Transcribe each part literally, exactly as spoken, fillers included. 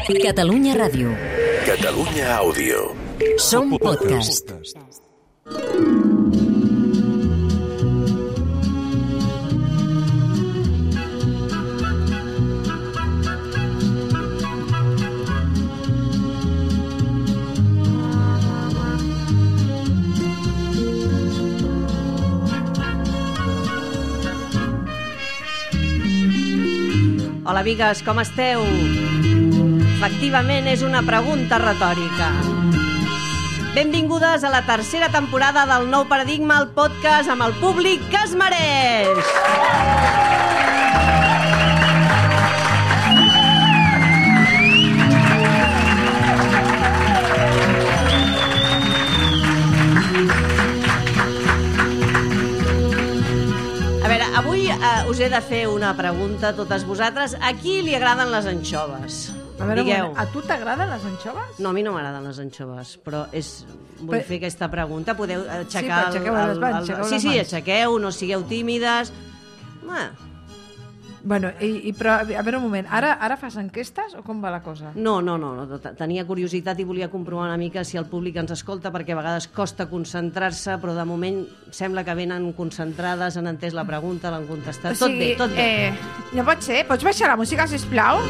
Catalunya Ràdio. Catalunya Àudio. Som podcast. Hola, amigues, com esteu? Efectivament, és una pregunta retòrica. Benvingudes a la tercera temporada del Nou Paradigma, el podcast amb el públic que es mereix. A veure, avui eh, us he de fer una pregunta a totes vosaltres. A qui li agraden les anxoves? A veure, Digueu. a tu t'agraden les anxoves? No, a mi no m'agraden les anxoves, però és... vull Però- fer aquesta pregunta. Podeu aixecar... Sí, però aixequeu el, les el, mans, el, aixequeu Sí, les sí, mans. aixequeu, no sigueu tímides. Ah, Bueno, i, i però, a veure un moment, ara, ara fas enquestes o com va la cosa? no, no, no, no, tenia curiositat i volia comprovar una mica si el públic ens escolta, perquè a vegades costa concentrar-se, però de moment sembla que venen concentrades, han entès la pregunta, l'han contestat. Tot bé, tot bé. Eh, no pot ser? Pots baixar la música, sisplau?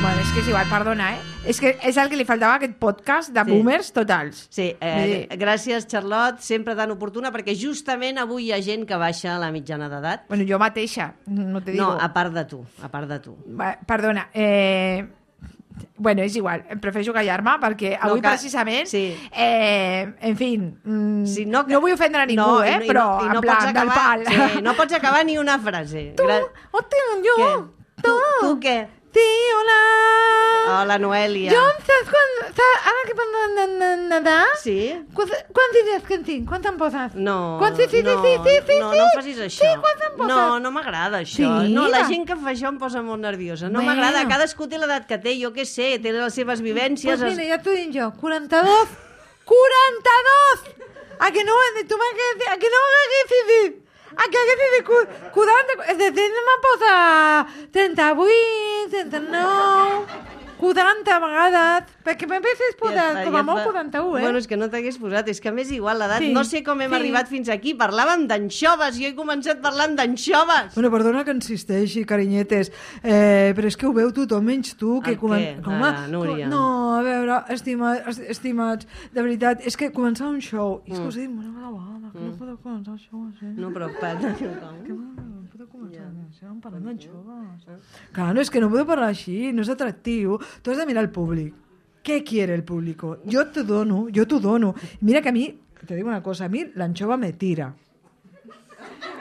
Bueno, és que és igual, perdona, eh? És que és el que li faltava a aquest podcast de Sí. boomers totals. Sí, eh, Vull dir- gràcies, Charlotte, sempre tan oportuna, perquè justament avui hi ha gent que baixa a la mitjana d'edat. Bueno, jo mateixa, no te digo. No, a part de tu, a part de tu. Va, perdona, eh... Bueno, és igual, prefereixo callar-me perquè avui que- precisament, sí. eh, en fi, mm, Sí, no, que- no vull ofendre a ningú, no, eh, i no- i però no, i no en plan, pots del acabar, pal. Sí, no pots acabar ni una frase. Tu, Gra- hòstia, jo, Què? tu, Tu, tu què? Sí, hola. Hola, Noelia. Jo, saps quan... Saps, ara que parlem de de nedar... Sí? Quants, quants diners que en tinc? Quants em poses? No, Quants, sí, sí, no, sí, sí, sí, no, sí. no facis això. Sí, quants em poses? No, no m'agrada això. Sí? No, la gent que fa això em posa molt nerviosa. No Bueno. m'agrada, cadascú té l'edat que té, jo què sé, té les seves vivències. Pues mira, ja t'ho dic jo, quaranta-dos. quaranta-dos! A que no, tu m'haguessis... A que no m'haguessis dit... A que haguessis dit cu- quaranta... És a dir, no me posa trenta-vuit, trenta-nou... quaranta vegades, perquè m'haguessis posat com a molt quaranta-u, eh? Bueno, és que no t'hagués posat, és que a més igual l'edat, Sí, no sé com hem sí. arribat fins aquí, parlàvem d'anxoves, jo he començat parlant d'anxoves. Bueno, perdona que insisteixi, carinyetes, eh, però és que ho veu tothom menys tu. Que El comen- què? Com Ah, a- Núria. No, a veure, estima, est- estimats, de veritat, és que començar un show, i és que us he dit una vegada, que no podeu començar el show així. No, però... pa- Que no podeu començar així, parlant d'anxoves. Clar, no, és que no podeu parlar així, no és atractiu. Tu has de mirar el públic. ¿Qué quiere el público? Yo te dono, yo te dono. Mira que a mí, te digo una cosa, a mí la anchova me tira.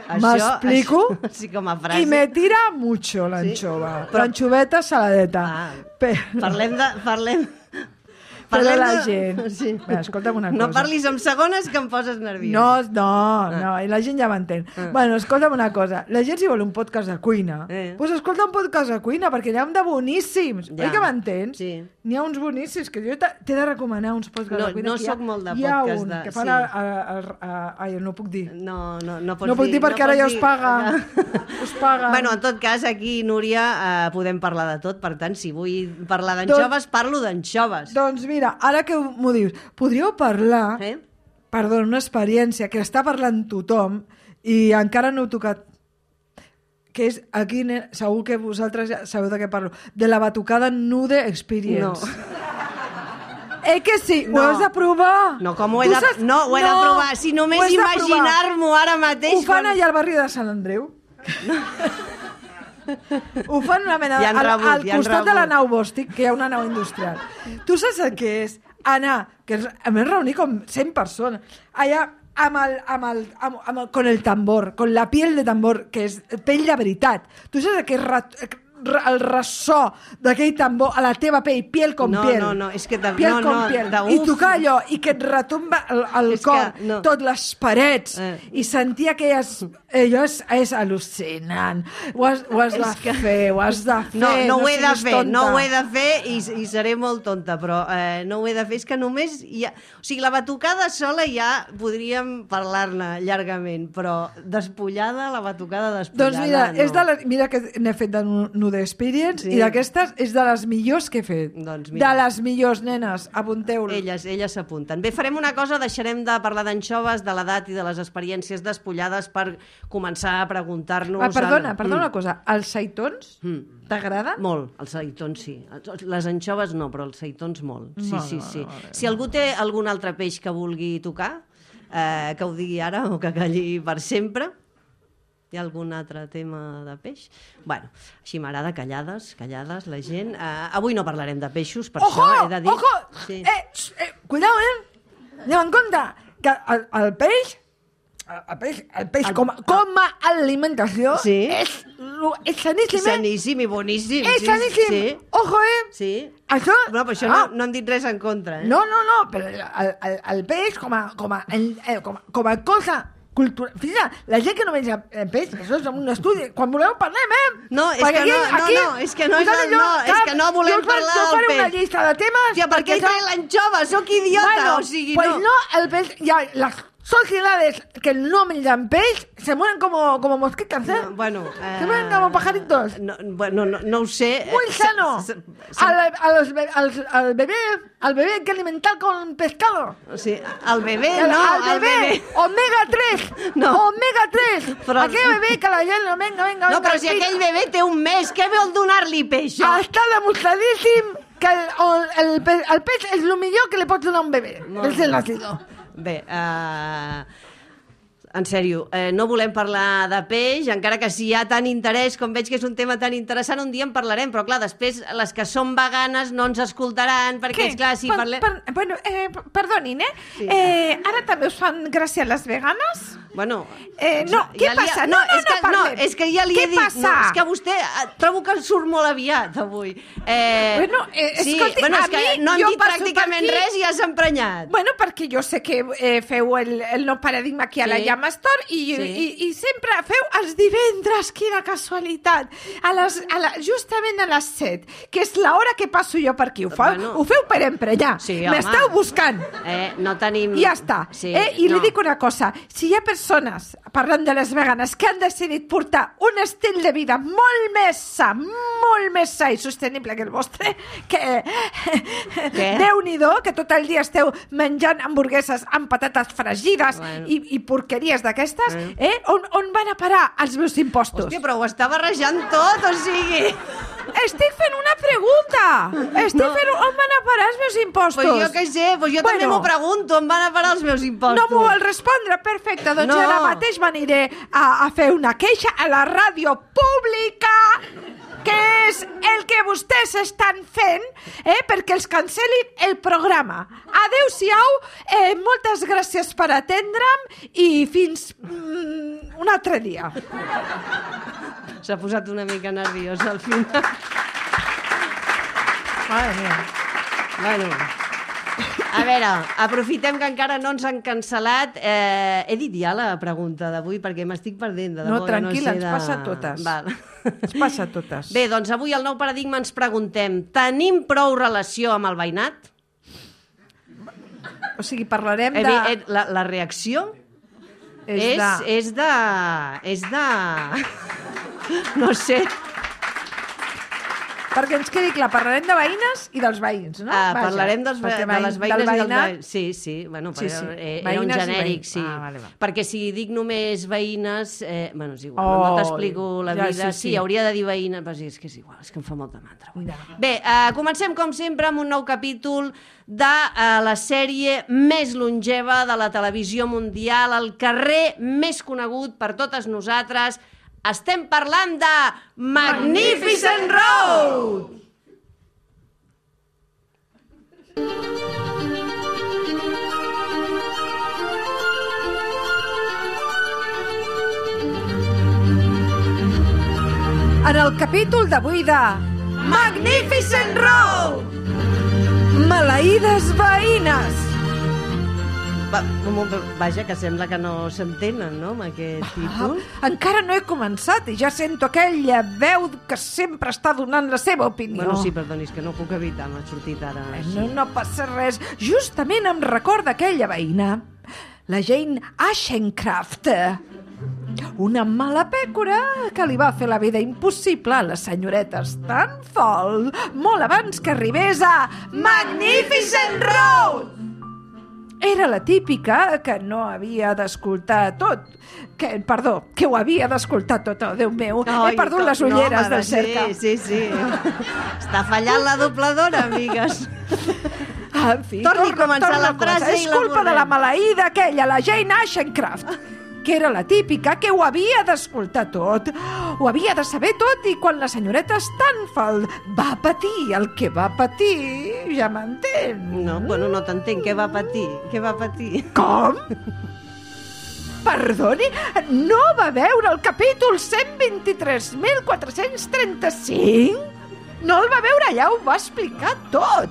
Això- M'explico? això- Sí, com a frase. Y me tira mucho la Sí? anchova. Però- L'anchoveta saladeta. Ah, Però- Parlem de... Parlem... Però parlem la de- gent... Sí. Bé, escolta'm una No cosa. parlis en segones que em poses nerviós. No, no, no, i la gent ja m'entén. Ah. Bueno, escolta'm una cosa. La gent si vol un podcast de cuina, Eh. doncs escolta un podcast de cuina, perquè n'hi ha de boníssims. Ja. Oi que m'entens? Sí. N'hi ha uns boníssims, que jo t'he t'he de recomanar uns podcasts No, de cuina. no que hi ha- soc molt de hi ha podcast un de- que fan sí. a, a, a, a, ai, no puc dir. No, no, no pots No puc dir perquè no ara ja pots us dir- paga. Us paga. Bueno, en tot cas, aquí, Núria, eh, podem parlar de tot. Per tant, si vull parlar d'anxoves, parlo d'anxoves. Doncs mira, ara que m'ho dius, podríeu parlar, Eh? perdó, una experiència que està parlant tothom i encara no heu tocat, que és, aquí ne- segur que vosaltres ja sabeu de què parlo, de la batucada Nude Experience. No. Eh que sí, No. ho has de provar. No, com ho he Tu de... saps- No, ho he de provar. Si ho només has de provar. imaginar-m'ho ara mateix... Ho fan quan- allà al barri de Sant Andreu. Ho fan una mena... Ja han al, rebut, al ja han costat de la rebut. nau Bòstic, que hi ha una nau industrial. Tu saps el que és? Anar, que és, a més reunir com cent persones, allà amb el, amb el, amb, amb el, con el tambor, con la piel de tambor, que és pell de veritat. Tu saps el que és rat, el ressò d'aquell tambor a la teva pell, piel com No, piel. no, no, és que de- piel no, com no, piel. de- I uf. tocar allò, i que et retomba el, el És cor, que no. tot les parets, Eh. i sentir aquelles... Allò és, és al·lucinant. Ho has, ho has de És que- fer, ho has de fer. No, no ho he de siguis fer, tonta. no ho he de fer i, i seré molt tonta, però eh, no ho he de fer. És que només hi ha... O sigui, la batucada sola ja podríem parlar-ne llargament, però despullada, la batucada despullada, Doncs mira, no. és de la, mira que n'he fet de nu- Nude Experience, Sí. i d'aquestes és de les millors que he fet. Doncs mira. De les millors, nenes, apunteu-lo. Elles, elles s'apunten. Bé, farem una cosa, deixarem de parlar d'anxoves, de l'edat i de les experiències despullades per començar a preguntar-nos... Ah, perdona, el- perdona Mm. una cosa. Els seitons Mm. t'agrada? Molt, els seitons sí. Les anxoves no, però els seitons molt. Sí, Molt, sí, molt, sí. molt bé. Si algú té algun altre peix que vulgui tocar, eh, que ho digui ara o que calli per sempre. Hi ha algun altre tema de peix? Bueno, així m'agrada, callades, callades, la gent. Eh, avui no parlarem de peixos, per Ojo, això he de dir... ojo! Sí. Eh, sh, eh, cuidao, eh? Anem en compte que el, el peix, el, el peix, el peix El- com, a- com a alimentació Sí. és, lo- és saníssim, eh? Saníssim i boníssim. És sí, saníssim. Sí, Ojo, eh? sí. Això... No, però això ah, no, no hem dit res en contra, eh? No, no, no, però el, el, el peix com a, com a, el, eh, com a, com a cosa cultural... Fija, la gent que no menja eh, peix, això és un estudi. Quan voleu parlem, eh? No, és Perquè que no, aquí- no, no, és que no és posat el- allò, no, és cap, que no volem jo us faré- parlar jo del faré una peix. llista de temes... Hòstia, per què perquè trae l'anxova? Sóc idiota, Bueno, o sigui, pues no. no, el pez, ya, las sociedades que no menjan peix se mueren como, como mosquitas, ¿eh? No, bueno, eh, se mueren como pajaritos. No, bueno, no, no ho sé. Muy Eh, sano. se- se- Al, a los be- al, al bebé, al bebé hay que alimentar con pescado. O sigui, el bebé, El- no, al el bebé, bebé. omega tres, No. omega tres. Però- Aquell bebé que la gent, no, venga, venga, No, venga, però si fill. aquell bebé té un mes, què vol donar-li peix? Està demostradíssim que el, el, el, pe- el peix és el millor que li pots donar a un bebè. Molt Recién nacido. Bé, uh, en sèrio, eh, no volem parlar de peix, encara que si hi ha tant interès, com veig que és un tema tan interessant, un dia en parlarem, però clar, després les que són veganes no ens escoltaran, perquè, és clar, si Per- parlem... per- bueno, eh, p- perdonin, eh? Sí. eh? Ara també us fan gràcia les veganes? Bueno, Eh, no, què li ha- passa? No, no, és que, no no, parlem. és que ja li Què he dit... passa? No, és que vostè eh, trobo que surt molt aviat avui. Eh, Bueno, eh, sí, escolti, bueno, és a que mi, no hem jo dit passo per pràcticament aquí- res i ja s'ha emprenyat. Bueno, perquè jo sé que eh, feu el, el nou paradigma aquí a la Sí. Llama Store i, Sí. i, i sempre feu els divendres, quina casualitat, a les, a la, justament a les set, que és l'hora que passo jo per aquí. Ho, fa, Bueno. ho feu per emprenyar. Sí, home. M'esteu buscant. Eh, no tenim... I ja està. Sí, eh? I no. li dic una cosa, si hi ha persones, parlant de les veganes, que han decidit portar un estil de vida molt més sa, molt més sa i sostenible que el vostre, que Què? Déu-n'hi-do, que tot el dia esteu menjant hamburgueses amb patates fregides Bueno. i, i porqueries d'aquestes, Eh. eh? on, on van a parar els meus impostos? Hòstia, però ho està barrejant tot, o sigui... Estic fent una pregunta. Estic No. fent... On van a parar els meus impostos? Pues jo què sé, pues jo Bueno. també m'ho pregunto, on van a parar els meus impostos? No m'ho vol respondre? Perfecte, doncs No. no. ara mateix m'aniré a, a fer una queixa a la ràdio pública, que és el que vostès estan fent, eh, perquè els cancel·lin el programa. Adéu-siau, eh, moltes gràcies per atendre'm i fins mm, un altre dia. S'ha posat una mica nerviós al final. Madre mia. Bueno, a veure, aprofitem que encara no ens han cancel·lat. Eh, he dit ja la pregunta d'avui perquè m'estic perdent. De No, debò, que tranquil·la, sé ens de... passa a totes. Val. Es passa a totes. Bé, doncs avui al Nou Paradigma ens preguntem: tenim prou relació amb el veïnat? O sigui, parlarem Eh, de... bé, eh, la, la reacció és, de... és de... És de... No sé. Perquè ens quedi clar, parlarem de veïnes i dels veïns, no? Ah, Vaja, parlarem dels, ve- perquè de veïn- les veïnes del i dels veïnat- veïns. Sí, sí, bueno, Sí, però sí. eh, era un Veïnes i genèric, veïns. sí. Ah, vale, va. Perquè si dic només veïnes, eh, bueno, és igual, Oh, no t'explico la ja, vida. sí, Sí, sí. hauria de dir veïnes, però sí, és que és igual, és que em fa molta mandra. avui. Ja. Bé, eh, comencem com sempre amb un nou capítol de eh, la sèrie més longeva de la televisió mundial, el carrer més conegut per totes nosaltres. Estem parlant de Magnificent Road! En el capítol d'avui de Magnificent Road! Maleïdes veïnes. Va, vaja, que sembla que no s'entenen, no?, amb aquest títol. Ah, encara no he començat i ja sento aquella veu que sempre està donant la seva opinió. Bueno, sí, perdoni, és que no puc evitar, m'ha sortit ara. Eh, així. No, no passa res. Justament em recorda aquella veïna, la Jane Ashencraft. Una mala pècora que li va fer la vida impossible a la senyoreta Stanford molt abans que arribés a Magnificent Road. Era la típica que no havia d'escoltar tot. Que, perdó, que ho havia d'escoltar tot. Oh, Déu meu, Ai, he perdut com- les ulleres no, del mare, cerca. Sí, sí, sí. Està fallant la dobladora, amigues. En fi, Torni a torna- començar torna la frase cosa. És i la culpa de la borrem. maleïda aquella, la Jane Ashencraft, que era la típica que ho havia d'escoltar tot, ho havia de saber tot, i quan la senyoreta Stanford va patir el que va patir, ja m'entén. No, bueno, no t'entenc. Què va patir? Què va patir? Com? Perdoni, no va veure el capítol cent vint-i-tres mil quatre-cents trenta-cinc? No el va veure, ja ho va explicar tot.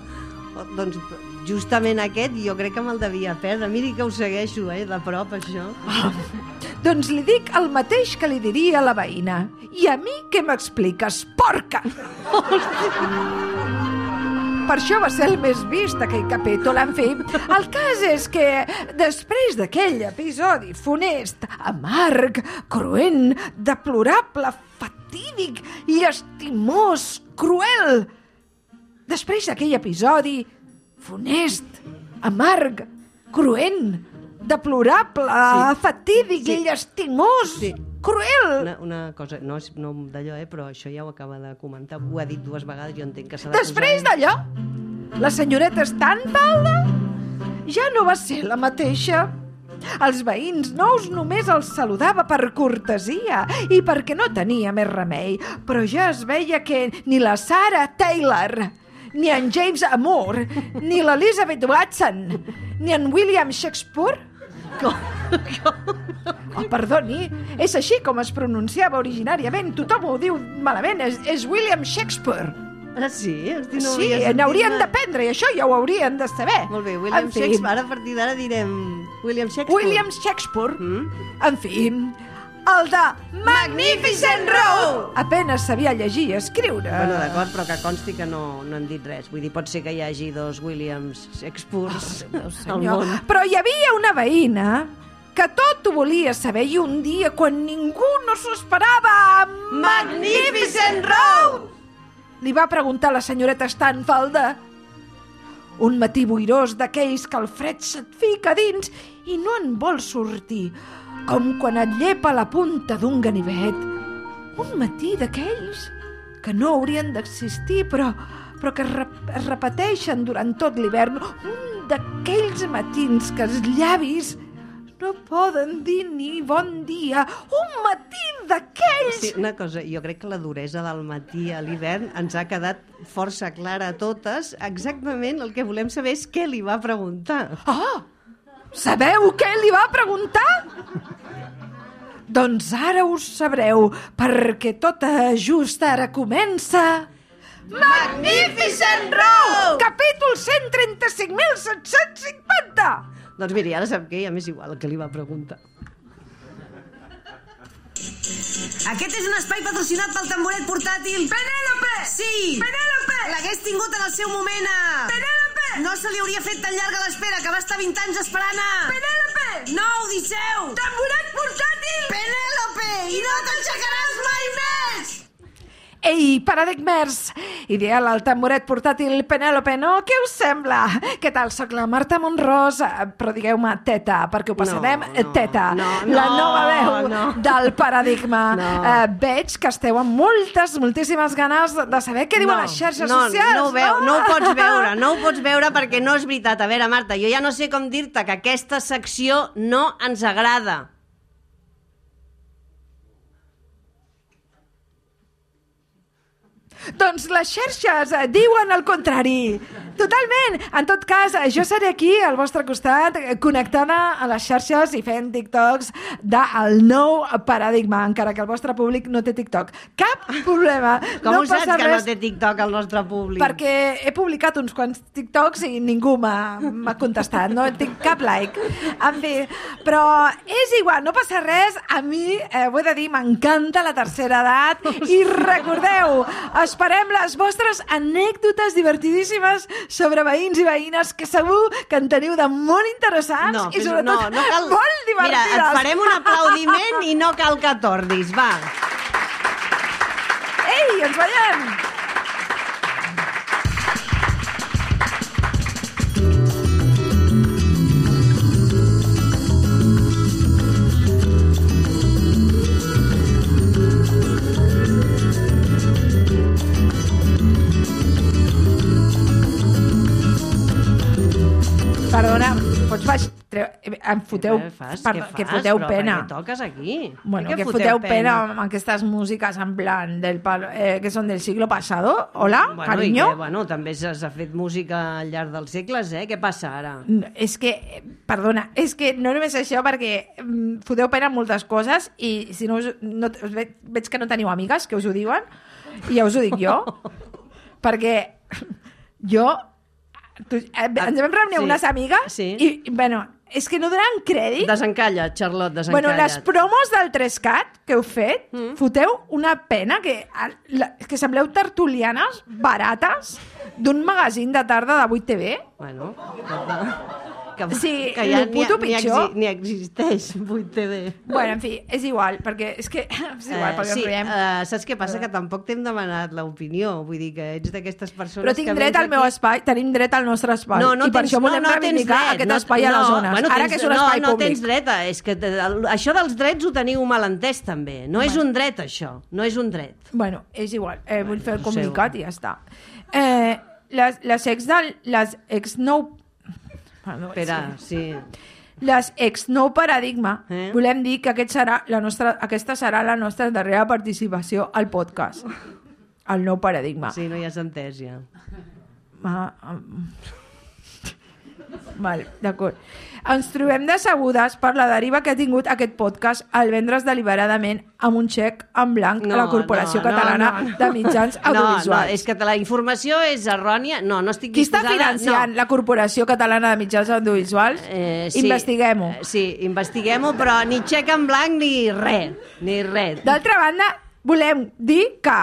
Oh, doncs justament aquest jo crec que me'l devia perdre. Miri que ho segueixo, eh, de prop, això. Doncs li dic el mateix que li diria a la veïna. I a mi què m'expliques, porca? Per això va ser el més vist, aquell capítol. En fi, el cas és que després d'aquell episodi funest, amarg, cruent, deplorable, fatídic, llastimós, cruel, després d'aquell episodi funest, amarg, cruent, deplorable, Sí. fatídic, Sí. llastimós, Sí. cruel. Una, una cosa, no és no d'allò, eh, però això ja ho acaba de comentar. Ho ha dit dues vegades, jo entenc que s'ha de Després posar... d'allò, la senyoreta Stanford ja no va ser la mateixa. Els veïns nous només els saludava per cortesia i perquè no tenia més remei, però ja es veia que ni la Sarah Taylor, ni en James Amour, ni l'Elizabeth Watson, ni en William Shakespeare... Oh, perdoni, és així com es pronunciava originàriament. Tothom ho diu malament, és, és William Shakespeare. Ah, sí? Hosti, no Sí, havia sentit n'haurien mai. d'aprendre, i això ja ho haurien de saber. Molt bé, William En fi, Shakespeare. Ara a partir d'ara direm William Shakespeare. William Shakespeare. Mm? En fi, el de Magnificent Road. Apenes sabia llegir i escriure. Bueno, d'acord, però que consti que no, no hem dit res. Vull dir, pot ser que hi hagi dos Williams Shakespeares al Senyor. món. Però hi havia una veïna que tot ho volia saber i un dia, quan ningú no s'ho esperava, Magnificent Road! Li va preguntar la senyoreta Stanford. Un matí boirós d'aquells que el fred se't fica dins i no en vol sortir, com quan et llepa la punta d'un ganivet. Un matí d'aquells que no haurien d'existir, però, però que es, rep es repeteixen durant tot l'hivern. Un d'aquells matins que els llavis no poden dir ni bon dia. Un matí d'aquells... Sí, una cosa, jo crec que la duresa del matí a l'hivern ens ha quedat força clara a totes. Exactament el que volem saber és què li va preguntar. Oh! Sabeu què li va preguntar? Doncs ara ho sabreu, perquè tot just ara comença... Magnificent Road! Capítol cent trenta-cinc mil set-cents cinquanta! Doncs miri, ara sap què, ja m'és igual el que li va preguntar. Aquest és un espai patrocinat pel tamboret portàtil Penèlope! Sí! Penèlope! L'hagués tingut en el seu moment a... Penèlope! No se li hauria fet tan llarga l'espera, que va estar vint anys esperant a... Penèlope! No, Odisseu! Tamboret portàtil! Penèlope! I no t'aixecaràs mai més! Ei, paradigmers! Ideal el tamboret portàtil Penèlope, no? Què us sembla? Què tal? Soc la Marta Monrós, eh, però digueu-me teta, perquè ho passarem No, no, teta. no, la no, nova veu no. del paradigma. No. Eh, veig que esteu amb moltes, moltíssimes ganes de saber què diuen no, les xarxes no, socials. No ho, veu, no ho pots veure, no ho pots veure perquè no és veritat. A veure, Marta, jo ja no sé com dir-te que aquesta secció no ens agrada. Doncs les xarxes eh, diuen el contrari. Totalment. En tot cas, eh, jo seré aquí al vostre costat, eh, connectada a les xarxes i fent TikToks del nou paradigma, encara que el vostre públic no té TikTok. Cap problema. Com no ho saps passa que no res, té TikTok el nostre públic? perquè he publicat uns quants TikToks i ningú m'ha m'ha contestat, no tinc cap like. En fi, però és igual, no passa res. A mi, eh, ho he de dir, m'encanta la tercera edat. I recordeu, esperem les vostres anècdotes divertidíssimes sobre veïns i veïnes que segur que en teniu de molt interessants No, i fes- sobretot no, no cal... molt divertides. Mira, et farem un aplaudiment i no cal que tordis, va. Ei, ens veiem! Perdona, pots baix... Treu... Em foteu... Què fas? Perdó, Què que fas? foteu Però pena. per què toques aquí? Bueno, Per què que foteu pena amb aquestes músiques en plan del palo, eh, que són del siglo pasado. Hola, Bueno, cariño. i que, bueno, també s'ha s'ha fet música al llarg dels segles, eh? Què passa ara? No, és que, eh, perdona, és que no només això, perquè mm, foteu pena en moltes coses i si no, us, no us veig, veig que no teniu amigues que us ho diuen i ja us ho dic jo, perquè jo... Tu, eh, ens vam reunir Sí. unes amigues Sí. i, bueno, és que no donen crèdit. Desencalla, Charlotte, desencalla. Bueno, les promos del tres cat que heu fet, mm. foteu una pena que, la, que sembleu tertulianes barates d'un magazín de tarda de vuit T V. Bueno, que, que, Sí, que ja lo puto ni, pitjor. Ni, existeix vuit T V. Bueno, en fi, és igual, perquè és que és igual, perquè sí, ens riem. uh, saps què passa? Que tampoc t'hem demanat l'opinió. Vull dir que ets d'aquestes persones Però tinc que dret vens al meu aquí... espai, tenim dret al nostre espai. No, no I per tens, això volem no, no tens reivindicar dret, aquest no, espai a les no, zones. Bueno, Ara tens, que és un no, espai no públic. tens dret, a, és que el, això dels drets ho teniu mal entès també. No és un dret, això. No és un dret. Bueno, és igual, eh, vull fer el Ho sé. comunicat i ja està. Eh, les, les ex del... Les ex nou... Perdó, és Espera, que- sí. Les ex nou paradigma, Eh? volem dir que aquest serà la nostra, aquesta serà la nostra darrera participació al podcast. El nou paradigma. Sí, no hi has entès, ja. Ah, um... Val, d'acord. Ens trobem decebudes per la deriva que ha tingut aquest podcast el vendre's deliberadament amb un xec en blanc a la Corporació no, Catalana no, no. de Mitjans Audiovisuals. No, no, és que la informació és errònia. No, no estic Qui està disposada... financiant no. la Corporació Catalana de Mitjans Audiovisuals? Eh, sí. Investiguem-ho. Eh, Sí, investiguem-ho, però ni xec en blanc ni res. Ni res. D'altra banda, volem dir que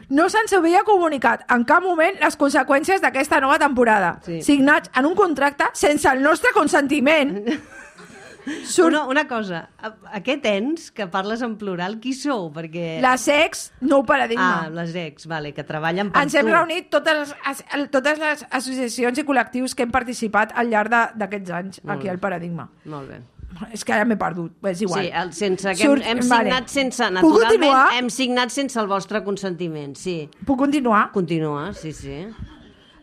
no se'ns havia comunicat en cap moment les conseqüències d'aquesta nova temporada, Sí. signats en un contracte sense el nostre consentiment. Surt Una, una cosa, a- aquest ens que parles en plural, qui sou? Perquè... les ex, nou Ah, paradigma. les ex, vale, que treballen per Ens tu. hem reunit totes les, as- totes les associacions i col·lectius que hem participat al llarg de- d'aquests anys Molt aquí bé. al Paradigma. Molt bé. És que ara m'he perdut, és igual. Sí, el, sense que Surt- hem, hem vale. signat sense, Puc naturalment, continuar? hem signat sense el vostre consentiment, sí. Puc continuar? Continua, sí, sí.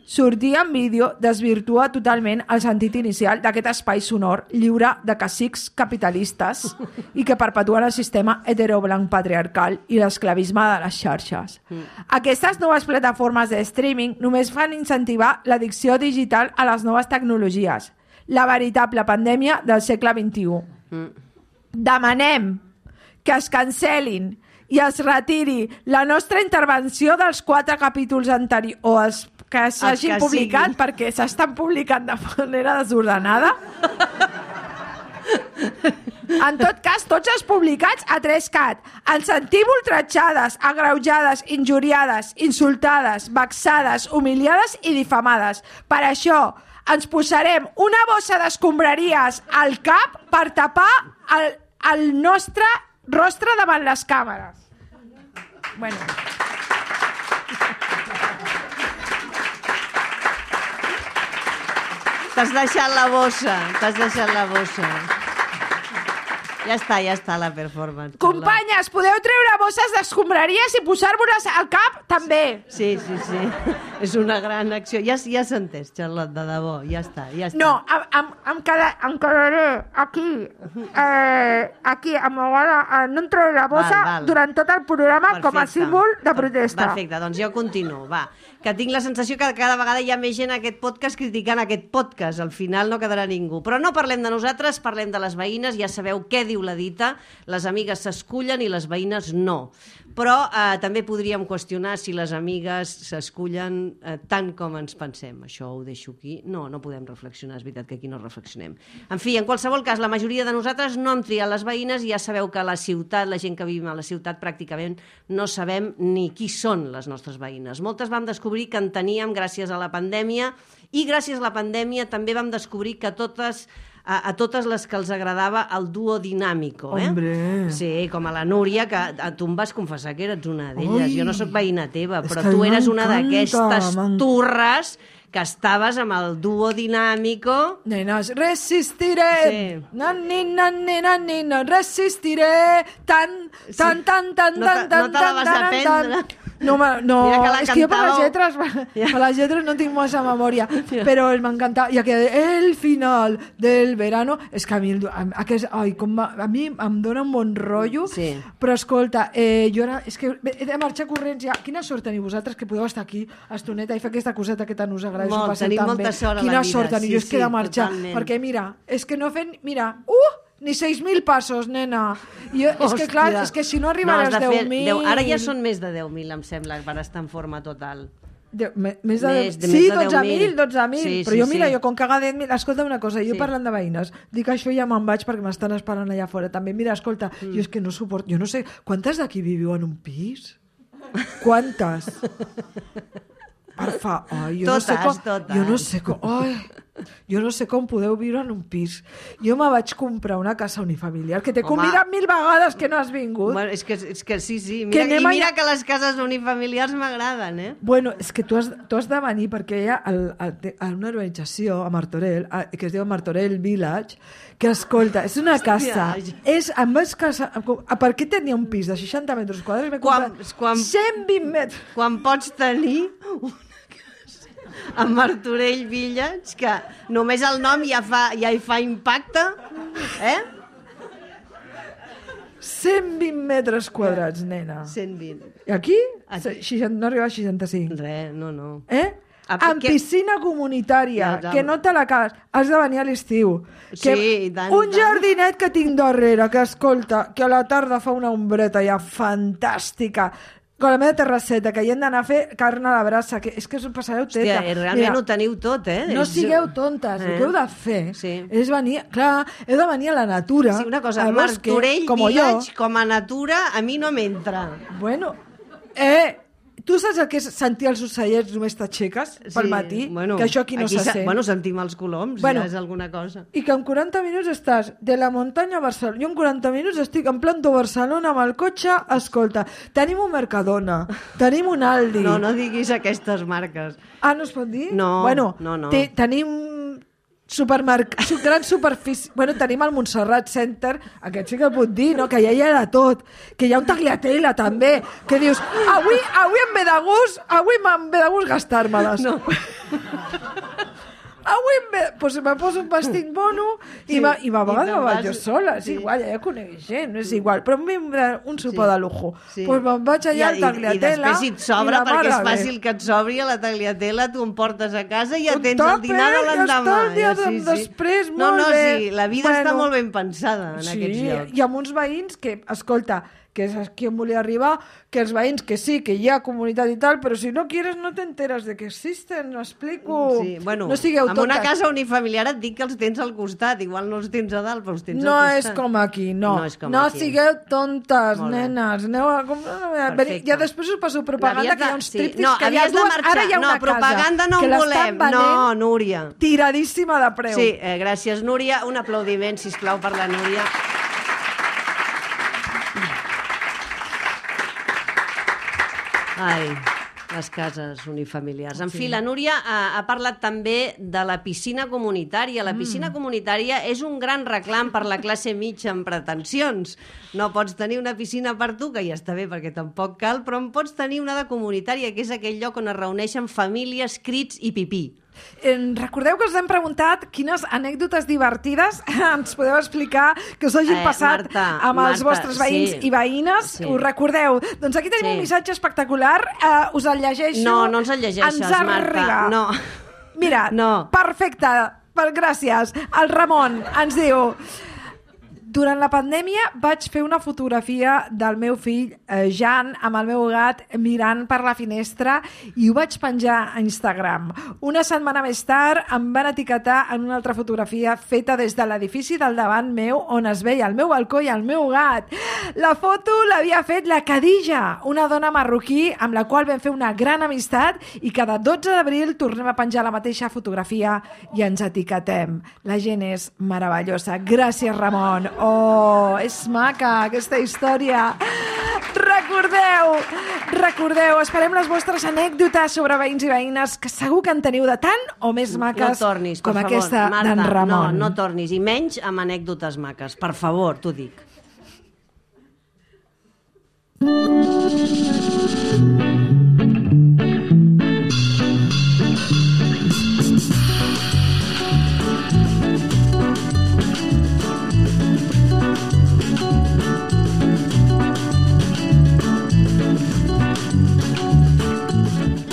Sortir en vídeo desvirtua totalment el sentit inicial d'aquest espai sonor lliure de cacics capitalistes i que perpetuen el sistema heteroblanc patriarcal i l'esclavisme de les xarxes. Mm. Aquestes noves plataformes de streaming només fan incentivar l'addicció digital a les noves tecnologies, la veritable pandèmia del segle vint-i-u. Mm. Demanem que es cancel·lin i es retiri la nostra intervenció dels quatre capítols anteriors o els que s'hagin que publicat sigui. perquè s'estan publicant de manera desordenada. En tot cas, tots els publicats a tres cat. Ens sentim ultratjades, agreujades, injuriades, insultades, vexades, humiliades i difamades. Per això ens posarem una bossa d'escombraries al cap per tapar el, el nostre rostre davant les càmeres. Bueno... T'has deixat la bossa, t'has deixat la bossa. Ja està, ja està la performance. Companyes, podeu treure bosses d'escombraries i posar-vos al cap també. Sí, sí, sí. És una gran acció. Ja, ja s'ha entès, Charlotte, de debò. Ja està, ja està. No, em, em, em, queda, em quedaré aquí, eh, aquí, amagada, eh, no em trauré la bossa Val, val. durant tot el programa com a Perfecte. símbol de protesta. Perfecte, doncs jo continuo, va. Que tinc la sensació que cada vegada hi ha més gent a aquest podcast criticant aquest podcast. Al final no quedarà ningú. Però no parlem de nosaltres, parlem de les veïnes. Ja sabeu què diu la dita. Les amigues s'escullen i les veïnes no. Però eh, també podríem qüestionar si les amigues s'escullen eh, tant com ens pensem. Això ho deixo aquí. No, no podem reflexionar. És veritat que aquí aquí no reflexionem. En fi, en qualsevol cas, la majoria de nosaltres no hem triat les veïnes i ja sabeu que a la ciutat, la gent que vivim a la ciutat, pràcticament no sabem ni qui són les nostres veïnes. Moltes vam descobrir que en teníem gràcies a la pandèmia i gràcies a la pandèmia també vam descobrir que totes... A, a totes les que els agradava el duo dinàmico, eh? Hombre. Sí, com a la Núria, que a tu em vas confessar que eres una d'elles. Ui. Jo no sóc veïna teva, És però que tu eres una m'encanta, d'aquestes m'en- turres que estaves amb el duo dinàmico. Nenes, resistiré, Sí. nani, nani, nani, no resistiré, tan, tan, tan, tan, No te- tan, tan, no te la vas tan, tan, aprendre. tan. No, ma- no, Mira que la és que jo per les cantàveu. lletres, Ja. per les lletres no tinc massa memòria, però m'encanta, i que el final del verano, és que a mi, el, a, aquest, ai, com va, a mi em dona un bon rotllo, Sí. però escolta, eh, jo ara, és que he de marxar corrents ja, quina sort teniu vosaltres que podeu estar aquí estoneta i fer aquesta coseta que tant us agrada, Molt, us ho passeu tenim tan molta bé. sort a la Quina vida, sort teniu, sí, jo és que he sí, de marxar, totalment. perquè mira, és que no fem, mira, uh, ni seis mil passos, nena. Jo, és que clar, Hòstia. és que si no No, arribaràs has de als fer deu mil... deu- Ara ja són més de deu mil, em sembla, per estar en forma total. De, me, més de, Més de- sí, més de dotze mil, deu mil. dotze mil. Sí, Però sí, jo, mira, sí. jo com caga deu mil... Escolta una cosa, jo Sí. parlant de veïnes, dic això i ja me'n vaig perquè m'estan esperant allà fora. També, mira, escolta, mm. jo és que no suporto... Jo no sé, quantes d'aquí viviu en un pis? Quantes? Per fa... Ai, jo Totes, no sé com, totes. Jo no sé com... Ai, jo no sé com podeu viure en un pis. Jo me vaig comprar una casa unifamiliar que t'he Home. convidat mil vegades que no has vingut. Bueno, és, que, és que sí, sí. Que Mira, anem I mira allà- que les cases unifamiliars m'agraden, eh? Bueno, és que tu has, tu has de venir perquè hi ha el, el, a una urbanització a Martorell, a, que es diu Martorell Village, que escolta, és una casa, és, em vaig casar, a per què tenia un pis de seixanta metres quadrats? M'he Quan- comprat quan- cent vint metres. Quan pots tenir una casa a Martorell Village, que només el nom ja, fa, ja hi fa impacte, eh? cent vint metres quadrats, nena. cent vint. I aquí? Aquí. seixanta, no arriba a seixanta-cinc. Res, no, no. Eh? Ah, Amb que- piscina comunitària, Ja, ja. que no te la cas. Has de venir a l'estiu. Que Sí, i tant, un i tant. jardinet que tinc darrere, que escolta, que a la tarda fa una ombreta ja fantàstica. Con la meva terrasseta, que hi hem d'anar a fer carn a la brasa, que és que us ho passareu teta. Hòstia, realment ho teniu tot, eh? No És- sigueu tontes, eh? El que heu de fer Sí. és venir... Clar, heu de venir a la natura, Sí, una cosa, al bosque, Martorell com Village, jo. com a natura, a mi no m'entra. Bueno, eh... Tu saps el que és sentir els ocellets només t'aixeques pel matí? Bueno, que això aquí no se se- sent. Bueno, sentim els coloms, Bueno. ja és alguna cosa. I que en quaranta minuts estàs de la muntanya a Barcelona. Jo en quaranta minuts estic en planto Barcelona amb el cotxe. Escolta, tenim un Mercadona, tenim un Aldi. No, no diguis aquestes marques. Ah, no es pot dir? No, bueno, no, no. Te, tenim supermerc... su- gran superfície... Bueno, tenim el Montserrat Center, aquest sí que puc dir, no? Que ja hi ha de tot. Que hi ha un tagliatella, també. Que dius, avui, avui em ve de gust, avui em ve de gust gastar-me-les. No. Avui em ve... Pues me poso un vestit mono i, Sí, va, i a i vegades te'n me vaig vas- jo sola. És sí. igual, ja conec gent, no és igual. Però a mi em ve un sopar Sí. de lujo. Sí. Pues me'n vaig allà al I, i, I tagliatella després si et sobra, i la perquè és mare bé. fàcil que et sobri a la tagliatella, tu em portes a casa i ja Un tens el tàper, dinar de ja l'endemà. està el dia Ja, de- després, no, molt no, bé. sí, la vida està Bueno. molt ben pensada en Sí, aquests llocs. i amb uns veïns que, escolta, que és aquí on volia arribar, que els veïns que sí, que hi ha comunitat i tal, però si no quieres no t'enteres de que existen, no explico. Sí, bueno, no sigueu amb tontes. una casa unifamiliar et dic que els tens al costat, igual no els tens a dalt, però els tens No al és costat. com aquí, no. No és com no aquí. sigueu tontes, Molt bé. nenes. Aneu a... Com... Perfecte. Ja després us passo propaganda, L'havies que hi ha de- uns sí. tríptics no, que hi ha havies de dues... marxar. Ara hi ha una no, propaganda casa no que en l'estan volem. venent No, Núria. tiradíssima de preu. Sí, eh, gràcies, Núria. Un aplaudiment, sisplau, per la Núria. Ai, les cases unifamiliars. En fi, la Núria ha, ha parlat també de la piscina comunitària. La piscina mm. comunitària és un gran reclam per la classe mitja amb pretensions. No pots tenir una piscina per tu, que ja està bé perquè tampoc cal, però en pots tenir una de comunitària, que és aquell lloc on es reuneixen famílies, crits i pipí. Eh, recordeu que us hem preguntat quines anècdotes divertides ens podeu explicar que us hagin Eh, passat Marta, amb els Marta, vostres veïns sí. i veïnes. Sí. Us recordeu? Doncs aquí tenim Sí. un missatge espectacular. Eh, us el llegeixo. No, no ens el llegeixes, ens Marta. arriba. No. Mira, No. perfecte. Per, gràcies. El Ramon ens diu... Durant la pandèmia vaig fer una fotografia del meu fill, eh, Jan, amb el meu gat mirant per la finestra i ho vaig penjar a Instagram. Una setmana més tard em van etiquetar en una altra fotografia feta des de l'edifici del davant meu on es veia el meu balcó i el meu gat. La foto l'havia fet la Khadija, una dona marroquí amb la qual vam fer una gran amistat i cada dotze d'abril tornem a penjar la mateixa fotografia i ens etiquetem. La gent és meravellosa. Gràcies, Ramon. Oh, és maca aquesta història. Recordeu, recordeu, esperem les vostres anècdotes sobre veïns i veïnes, que segur que en teniu de tant o més maques no tornis, com favor. aquesta Marta, d'en Ramon. No, no tornis, i menys amb anècdotes maques. Per favor, t'ho dic.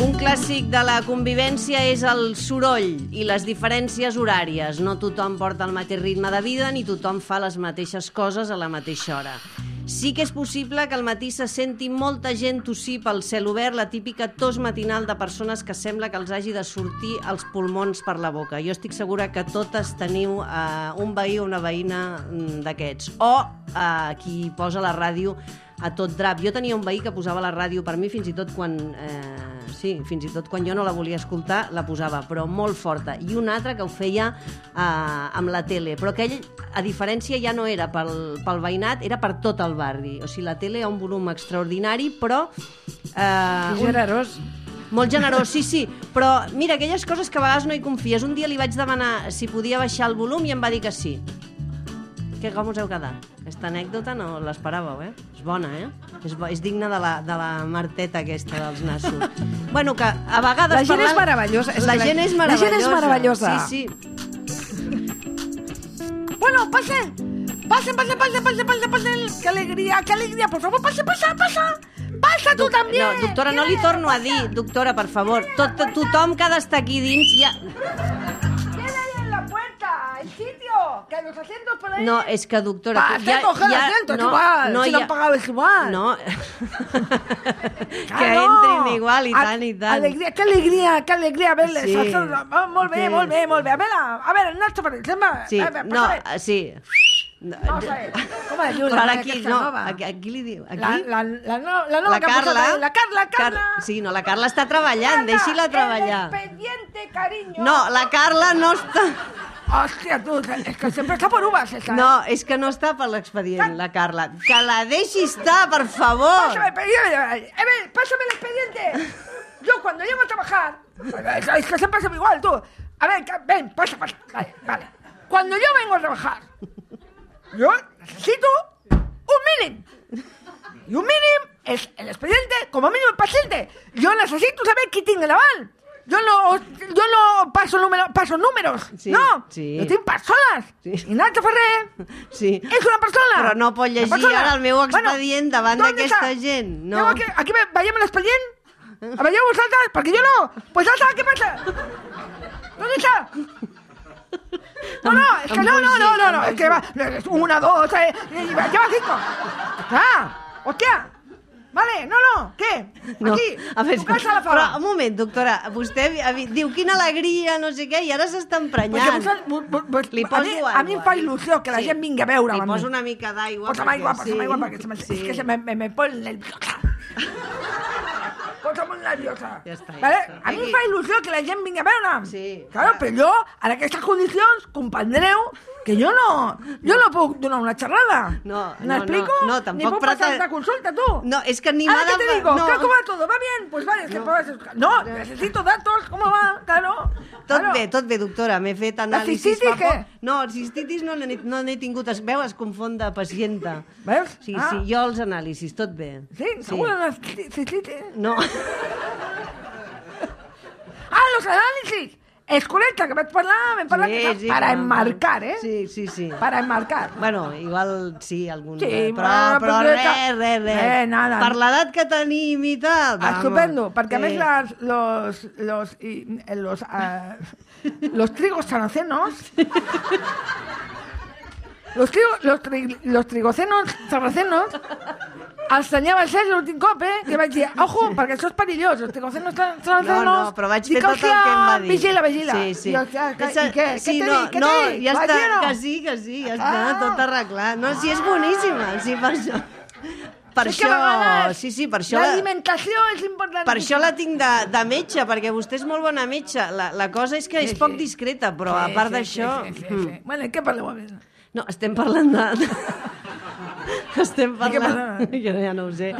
Un clàssic de la convivència és el soroll i les diferències horàries. No tothom porta el mateix ritme de vida ni tothom fa les mateixes coses a la mateixa hora. Sí que és possible que al matí se senti molta gent tossir pel cel obert, la típica tos matinal de persones que sembla que els hagi de sortir els pulmons per la boca. Jo estic segura que totes teniu uh, un veí o una veïna d'aquests. O uh, qui posa la ràdio a tot drap. Jo tenia un veí que posava la ràdio per mi fins i tot quan... Eh, sí, fins i tot quan jo no la volia escoltar, la posava, però molt forta. I un altre que ho feia eh, amb la tele. Però aquell, a diferència, ja no era pel, pel veïnat, era per tot el barri. O sigui, la tele ha un volum extraordinari, però... Eh, Generós. Molt generós, sí, sí. Però mira, aquelles coses que a vegades no hi confies. Un dia li vaig demanar si podia baixar el volum i em va dir que sí. Que com us heu quedat? Aquesta anècdota no l'esperàveu, eh? És bona, eh? És, bo, és digna de la, de la Marteta aquesta dels nassos. Bueno, que a vegades... La gent parlant... és meravellosa. És la, la, gent és la gent és meravellosa. Sí, sí. Bueno, pasen. Pasen, pasen, pasen, pasen, pasen, pasen. Qué alegría, qué alegría. Por favor, pasa, pasa, pasa. Pasa tu també. No, doctora, no li torno a dir. Doctora, per favor. Tot, tot, tothom que ha d'estar aquí dins ja... El sitio, que los asientos por ahí. No, és que, doctora... Va, ja, coger ja, asientos, no, igual, no, si ja... no pagabes igual. No, que no. entrin igual i tant i tant. Alegria, que alegria, que alegria verles. Sí. Oh, molt bé, sí. molt bé, molt bé. A veure, a veure, Nacho, per exemple. Sí, a veure, no, sí. No, Vamos a ver, ¿cómo es Però ara aquí, no, aquí, aquí li diu... Aquí? La, la, la, no, la nova la que Carla, ha posat, la Carla, Carla. Car sí, no, la Carla està treballant, deixi-la treballar. El expediente, cariño. No, la Carla no està... Hòstia, tu, és que sempre està per uvas, esa. No, és que no està per l'expedient, la Carla. Que la deixi estar, per favor. Pásame el expediente. A ver, pásame el expediente. Yo cuando llego a trabajar... Es que siempre es igual, tú. A ver, ven, pasa, pasa. Vale, vale. Cuando yo vengo a trabajar, yo necesito un mínim. Y un mínim es el expediente, como mínimo el paciente. Yo necesito saber qui tinc davant. Jo no, jo no passo, número, passo números, sí, no. Sí. Jo tinc persones. Sí. I Nacho Ferrer sí. és una persona. Però no pot llegir ara el meu expedient bueno, davant d'aquesta gent. No. Aquí, aquí veiem l'expedient? A veieu vosaltres? Perquè jo no. Pues ja saps què passa. ¿Dónde está? No, no, es que no, no, no, no, no, es que va, una, dos, tres, lleva cinco. Ah, hòstia. Vale, no, no, què? No. Aquí, a veure, tu casa la fava. Però, un moment, doctora, vostè diu quina alegria, no sé què, i ara s'està emprenyant. Pues, li poso a mi, aigua. A mi em fa il·lusió que la sí. gent vingui a veure'm. Li poso una mica d'aigua. Posa'm aigua, posa'm aigua, perquè se me, sí. és que se me, me, me pon nerviosa. Posa'm nerviosa. Ja està, ja vale? està. A mi em fa il·lusió que la gent vingui a veure'm. Sí. Claro, però jo, en aquestes condicions, comprendreu que jo no, jo no puc donar una xerrada. No, ¿Me no, explico? no, no, tampoc ni puc pasar la consulta, tú. No, es que ni nada... ¿Ahora qué te digo? No. ¿Cómo va todo? ¿Va bien? Pues vale, es que no. puedes... No, necesito datos, ¿cómo va? Claro. Tot claro. bé, tot bé, doctora, m'he fet anàlisis... La cistitis, què? No, el cistitis no n'he no tingut... Es veu, es confon de pacienta. Veus? Sí, ah. sí, jo els anàlisis, tot bé. Sí? Segur sí. la cistitis? No. Ah, los análisis. És correcte, que vaig parlar, vam parlar sí, que sí, para enmarcar, eh? Sí, sí, sí. Para enmarcar. Bueno, igual sí, algun... Sí, però, però, però res, res, res. Eh, nada. Per l'edat que tenim i tal... Estupendo, vamos. perquè sí. a més les, los, los, y, los, uh, los trigos saracenos Los, trigo, los, tri, los trigocenos sarracenos ensenyava això l'últim cop, eh? Que vaig dir, ojo, perquè això és perillós, els trigocenos sarracenos... No, no, però vaig fer tot el que em va dir. Vigila, vigila. Sí, sí. I, I, i, i què? Sí, què no, t'he dit? Què no, t'he dit? ja està, no? que sí, que sí, ja està, Ah. tot arreglat. No, sí, és boníssima, sí, per això... Per És que això, a vegades sí, sí, per això... L'alimentació és important. Per això la tinc de, de metge, perquè vostè és molt bona metge. La, la cosa és que Sí, és poc sí. discreta, però Sí, a part sí, d'això... Sí, sí, sí, sí. Bueno, i què parleu a més? No, estem parlant de... estem què parlant... passa? Jo ja no ho sé.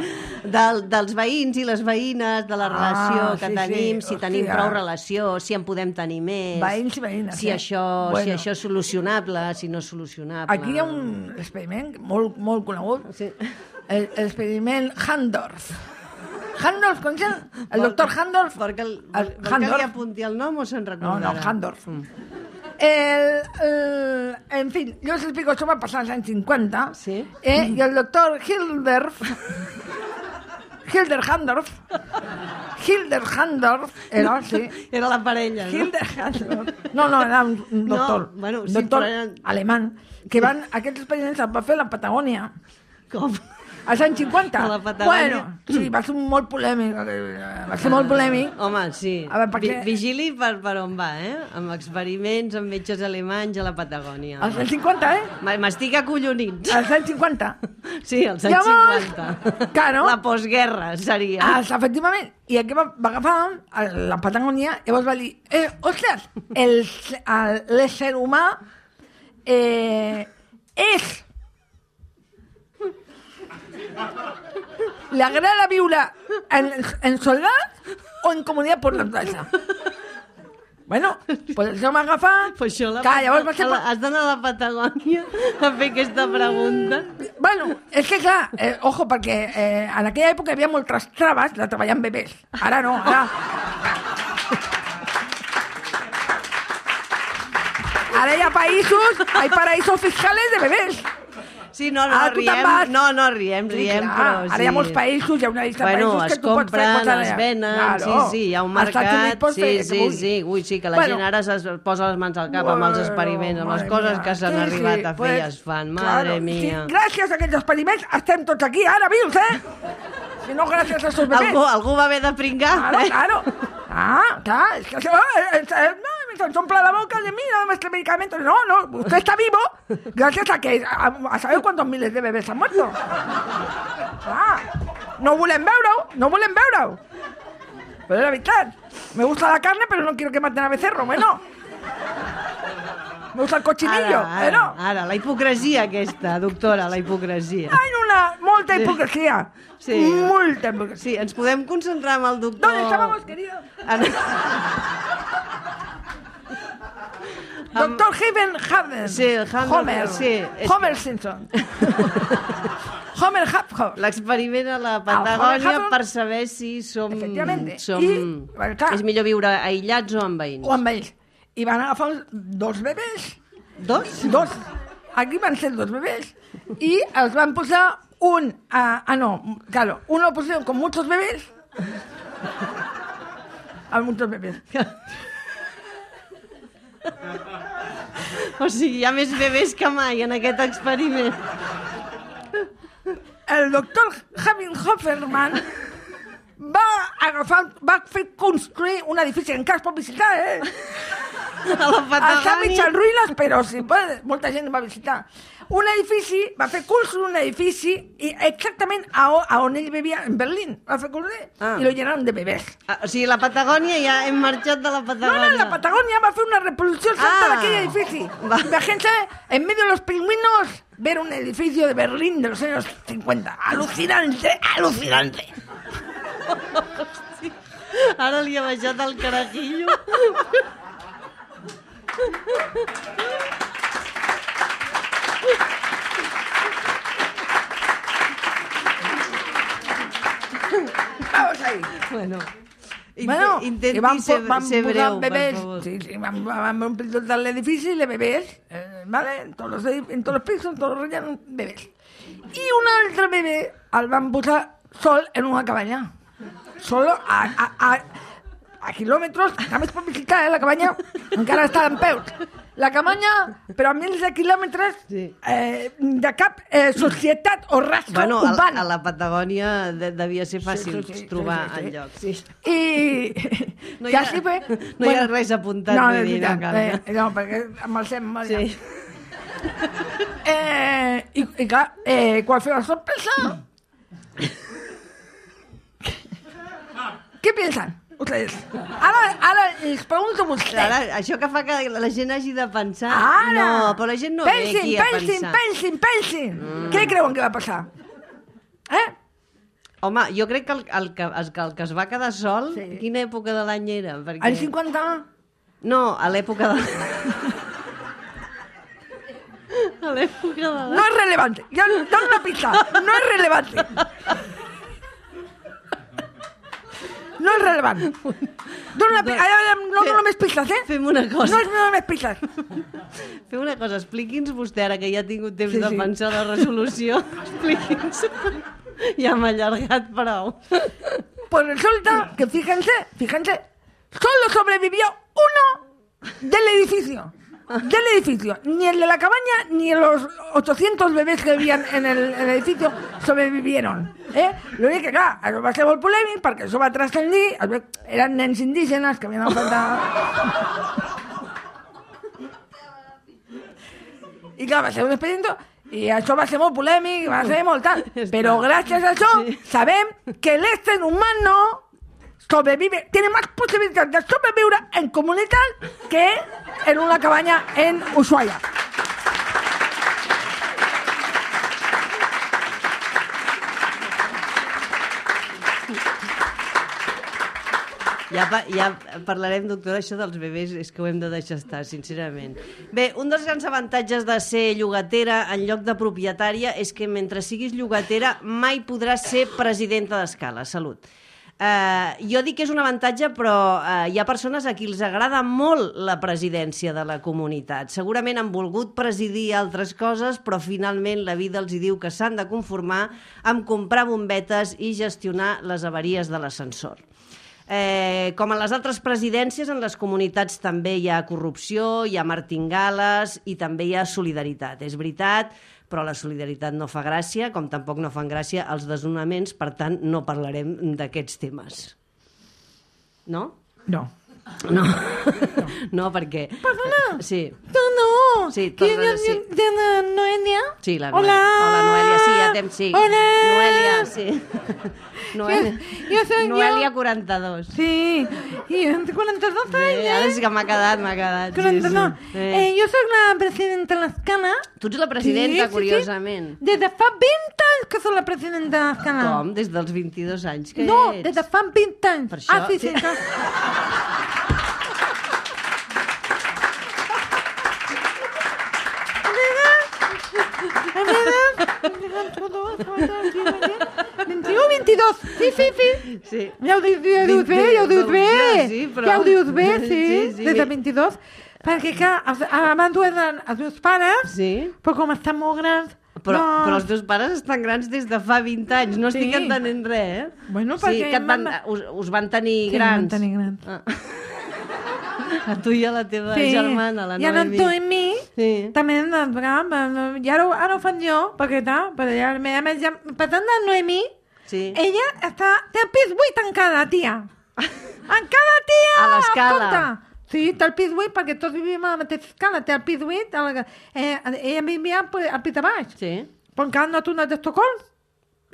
Del, dels veïns i les veïnes, de la relació Ah, que sí, tenim, sí, si tenim hòstia. prou relació, si en podem tenir més... Veïns i veïnes, Si, eh? això, Bueno. si això és solucionable, si no és solucionable... Aquí hi ha un experiment molt, molt conegut, Sí. el, l'experiment Handorf. Handorf, coneixen? El doctor Handorf. Vol que, el, El vol que li Handorf. apunti el nom o se'n No, recordarà? no, Handorf. El, el, en fin, yo os explico, eso va a pasar en los años cincuenta. Sí. Eh, y el doctor Hildorf, Hilder Handorf, Hilder Handorf, era así. Era la parella, no? Hilder Handorf. No, no, era un, un No, doctor. bueno, un sí, doctor però eren- alemán. Que van, aquests experiments els va fer a la Patagònia. Com? Als anys cinquanta. A la Patagònia. Bueno, sí, va ser molt polèmic. eh, Va ser molt polèmic. Home, sí. A veure, perquè- Vi- Vigili per, per on va, eh? Amb experiments amb metges alemanys a la Patagònia. Als anys cinquanta, eh? M- M'estic acollonint. Als anys cinquanta. Sí, als anys Llavors, cinquanta. claro. La postguerra seria. Ah, efectivament. I aquí va, va agafar a la Patagònia i llavors va dir, eh, ostres, el, el, l'ésser humà eh, és... ¿Le agrada viure en, en soledat o en comunitat por naturalesa? Bueno, pues això m'ha agafat... Pues això la, Clar, llavors va ser... a la, has d'anar a la Patagònia a fer aquesta pregunta. Bueno, és que clar, eh, ojo, perquè eh, en aquella època hi havia moltes traves de treballar amb bebès. Ara no, ara... Ara hi ha països, hay paraísos fiscales de bebès. Sí, no, no, Ara tu te'n riem, vas. no, no, riem, Sí, riem, clar, però sí. Ara hi ha molts països, hi ha una llista Bueno, de països es que tu pots fer compren, coses es allà. venen, Claro. sí, sí, hi ha un Als Estats Units mercat, pots sí, fer el que sí, vulguis. sí, ui, sí, que la Bueno. gent ara es posa les mans al cap amb els experiments, amb les Madre coses mía. que s'han Sí, arribat sí, a fer pues, i es fan, claro, madre mía. Sí, gràcies a aquests experiments estem tots aquí, ara vius, eh? Si no, gràcies a esos bebès. Algú, algú va haver de pringar, Claro, eh? claro. Ah, claro, es que se va, eh, eh, no, me sopla la boca de mí, no este medicamento. No, no, usted está vivo gracias a que, a, a saber cuántos miles de bebés han muerto. Ah, no volem veure-ho, no volem veure-ho. Però és la veritat, me gusta la carne, pero no quiero que maten a becerro, bueno. Me gusta el cochinillo, Ara, ara, bueno. ara, la hipocresia aquesta, doctora, la hipocresia. Hay una, molta hipocresía. Sí. Molta hipocresía. Sí, ens podem concentrar amb el doctor... ¿Dónde estábamos, querido? En... Doctor Haven Haven. Sí, el Haven, Homer. sí, és Homer que- Simpson. Homer Haphoff. L'experiment a la Homer Patagònia Haphoff. per saber si som... Efectivamente. som... I, bueno, clar. És millor viure aïllats o amb veïns. O amb ells. I van agafar uns- dos bebès. Dos? Dos. Aquí van ser dos bebès. I els van posar un... Ah, ah no, claro. Uno lo pusieron con muchos bebés. A muchos bebés. O sigui, hi ha més bebès que mai en aquest experiment. El doctor Javin Hofferman va agafar, va fer construir un edifici, encara es pot visitar, eh? A la Està mig Patagònia... en ruïnes, però sí, molta gent va visitar. Un edifici, va fer cursos en un edifici, i exactament a, a on ell vivia, en Berlín, va fer cursos, Ah. i lo llenaron de bebès. Ah, o sigui, la Patagònia ja hem marxat de la No, Patagònia. no, la Patagonia va fer una reproducción exacta Ah. de aquel edificio. Va. Imagínense, en medio de los pingüinos, ver un edificio de Berlín de los años cincuenta. Alucinante, alucinante. Ara li ha baixat el carajillo. Vamos ahí. Bueno, inte, Bueno, intenti i van, po- ser, van ser posar breu, bebès, per favor. sí, sí, van, van omplir tot l'edifici de bebès, eh, ¿vale? En todos, los, edi- en todos los pisos, en todos los rellenos, bebès. I un altre bebè el van posar sol en una cabanya. Solo a, a, a, a quilòmetres, a més per visitar, eh, la cabanya encara està en peus. la Camanya, però a mils de quilòmetres Sí. eh, de cap eh, societat o rastre Bueno, a, urbana. a la Patagònia de, devia ser fàcil Sí, sí, sí, trobar sí, sí, sí. enlloc. Sí. I... No hi ha, ja sí, bé, no hi ha res apuntat. No, vull no, és dir, no veritat. cal, no. Eh, no, perquè amb el sem... Sí. Eh, i, I clar, eh, quan feu la sorpresa... ¿Qué piensan ustedes? Ara, ara les pregunto a vostè. Ara, això que fa que la gent hagi de pensar... Ara! No, però la gent no pensin, ve aquí a pensin, pensar. pensin, pensin, mm. Què creuen que va passar? Eh? Home, jo crec que el, el, que, el, que el que es va quedar sol, Sí. quina època de l'any era? Perquè... Al cinquanta... No, a l'època de... a l'època de... No es relevante. Yo doy una pista. No es relevante. No es relevante. Doy una pista. No dono més pistes, eh? Fem una cosa. No es dono més pistes. Fem una cosa, expliqui'ns vostè, ara que ja ha tingut temps Sí, de sí. pensar la resolució, expliqui'ns. Ja m'ha allargat prou. Pues resulta que, fíjense, fíjense, solo sobrevivió uno del edificio. Del edificio. Ni el de la cabaña ni los ochocientos bebés que vivían en el, en el edificio sobrevivieron. Eh? Lo únic que, clar, això va ser molt polèmic perquè això va transcendir. Eren nens indígenes que havien enfrontat... I clar, va ser un experimento i això va ser molt polèmic, va ser molt tal. Però gràcies a això sabem que l'ésser humano sobrevive, tiene más posibilidades de sobrevivir en comunidad que en una cabaña en Ushuaia. Ja, pa, ja parlarem, doctora, això dels bebès, és que ho hem de deixar estar, sincerament. Bé, un dels grans avantatges de ser llogatera en lloc de propietària és que mentre siguis llogatera mai podràs ser presidenta d'Escala. Salut. Uh, jo dic que és un avantatge, però uh, hi ha persones a qui els agrada molt la presidència de la comunitat. Segurament han volgut presidir altres coses, però finalment la vida els hi diu que s'han de conformar amb comprar bombetes i gestionar les avaries de l'ascensor. Eh, com en les altres presidències, en les comunitats també hi ha corrupció, hi ha martingales i també hi ha solidaritat. És veritat, però la solidaritat no fa gràcia, com tampoc no fan gràcia els desnonaments, per tant, no parlarem d'aquests temes. No? No. No, no, no perquè... Perdona. Sí. No, no. Sí, ¿Quién perdona, es sí. de la Noelia? Sí, la Hola. Noelia. Hola, Noelia, sí, ja tem, sí. Hola. Noelia, sí. Noelia, Jo soy Noelia yo. quaranta-dos. Sí. Y yo tengo cuarenta y dos Sí, años. ara és que m'ha quedat, m'ha quedat. cuarenta y dos. Sí, sí. Eh, yo soy la presidenta de la Escala. Tu ets la presidenta, Sí, sí, sí. curiosament. Desde fa veinte anys que soy la presidenta de la Escala. Com? Des dels vint-i-dos anys que No, ets? desde fa veinte anys. Per això- Ah, sí, sí. sí. clar. vint-i-u, vint-i-dos. Sí, sí, sí. Sí. Ja ho dius, ja ho dius bé, ja ho dius bé. Ja, sí, però- Ja ho dius bé, sí, Sí, sí. des de vint-i-dos. Perquè, clar, els- abans ho eren els meus pares, Sí. però com estan molt grans... Però, doncs- però els teus pares estan grans des de fa vint anys. No estic Sí. entenent res, eh? Bueno, sí, perquè que et van, vam- us, us van tenir Sí, grans. van tenir grans. Ah. A tu i a la teva Sí, germana, la i en Noemi. tu i mi Sí. també hem de... I ara, ho- ara ho fan jo, perquè tal, però ja, a més, ja, per tant, la Noemi, Sí. ella està, té el pis buit encara, tia. Encara, tia! A l'Escala. Escolta. Sí, té el pis buit, perquè tots vivim a la mateixa escala, té el pis buit, a la, eh, ella vivia pues, al pis de baix, Sí. però encara no ha tornat d'Estocolm.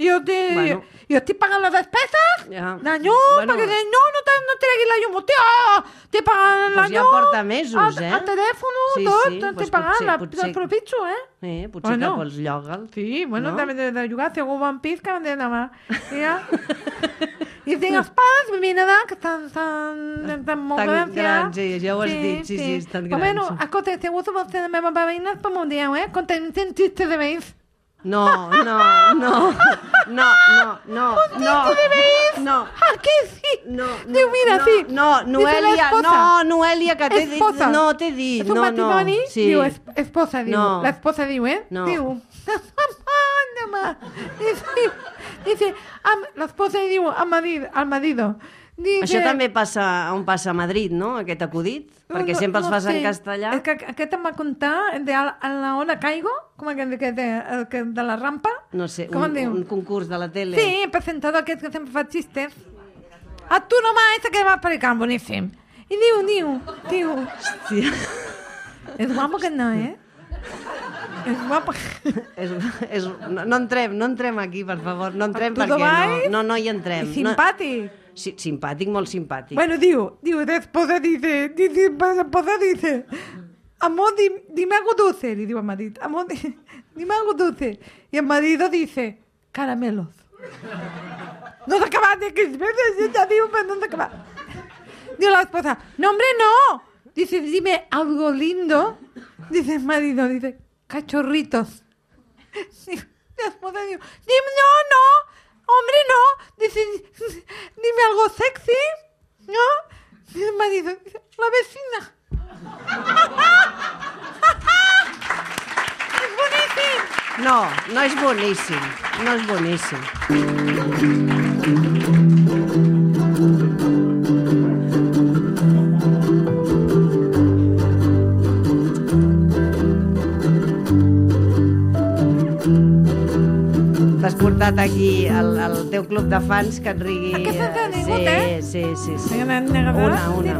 Jo, te, Bueno. jo estic pagant les despeses, Ja. la llum, Bueno. perquè no, no, te, no treguis la llum, tia, estic pagant la Pues ja llum, porta mesos, el, eh? el telèfon, Sí, tot, sí, estic pues pagant, potser- la, potser- el propitxo, eh? Eh, potser Bueno. que pots llogar-lo. Sí, bueno, No? també de, de jugar, si algú va en pis, que van de demà. Ja. I tinc els pares vivint allà, que estan, estan, estan molt Tan grans, ja. grans, sí, ja ho has dit, sí, sí, estan Però bueno, grans. escolta, si algú se vol ser la meva veïna, pues m'ho dieu, eh? Quan tenim xiste de veïns. No, no, no, no, no, no, no, no. Ah, que sí? No, no, Diu, mira, no, sí. No, Dice Noelia, la esposa. no, Noelia, que t'he dit, Esposa. no, t'he dit, És un no, no. matrimoni? Sí. Diu, es, esposa, diu. No. La esposa diu, eh? No. Diu. Dice, dice, am, la esposa diu al marido, al marido, Dice... Això també passa on passa a Madrid, no?, aquest acudit? Perquè no, sempre els no fas sé. en castellà. És que aquest em va contar de a, a la hora caigo, com aquest que de, el que de la rampa. No sé, com un, diu? un concurs de la tele. Sí, el presentador aquest que sempre fa xistes. A tu nomás, ese que va a predicar, boníssim. I diu, diu, diu... Hòstia. És guapo que no, eh? És guapo. és, és, no, no entrem, no entrem aquí, per favor. No entrem Tu perquè vai? no, no, no hi entrem. I simpàtic. No, sí, simpàtic, molt simpàtic. Bueno, diu, diu, después dice, dice, después dice, amor, di, dime algo dulce, le digo a marido, amor, di, dime algo dulce. Y el marido dice, caramelos. No se acaba de que veces ya digo, pero no se acaba. Digo la esposa, no, hombre, no. Dice, dime algo lindo. Dice el marido, dice, cachorritos. Digo, la esposa digo, dime, no, no. Hombre, no. Dice, dime algo sexy. ¿No? Dice el marido, dice, la vecina. Es boníssim. No, no és boníssim. No és boníssim. T'has portat aquí el, el teu club de fans que et rigui... Aquesta t'ha sí, vingut, eh? sí, sí, sí. Una, Una, una.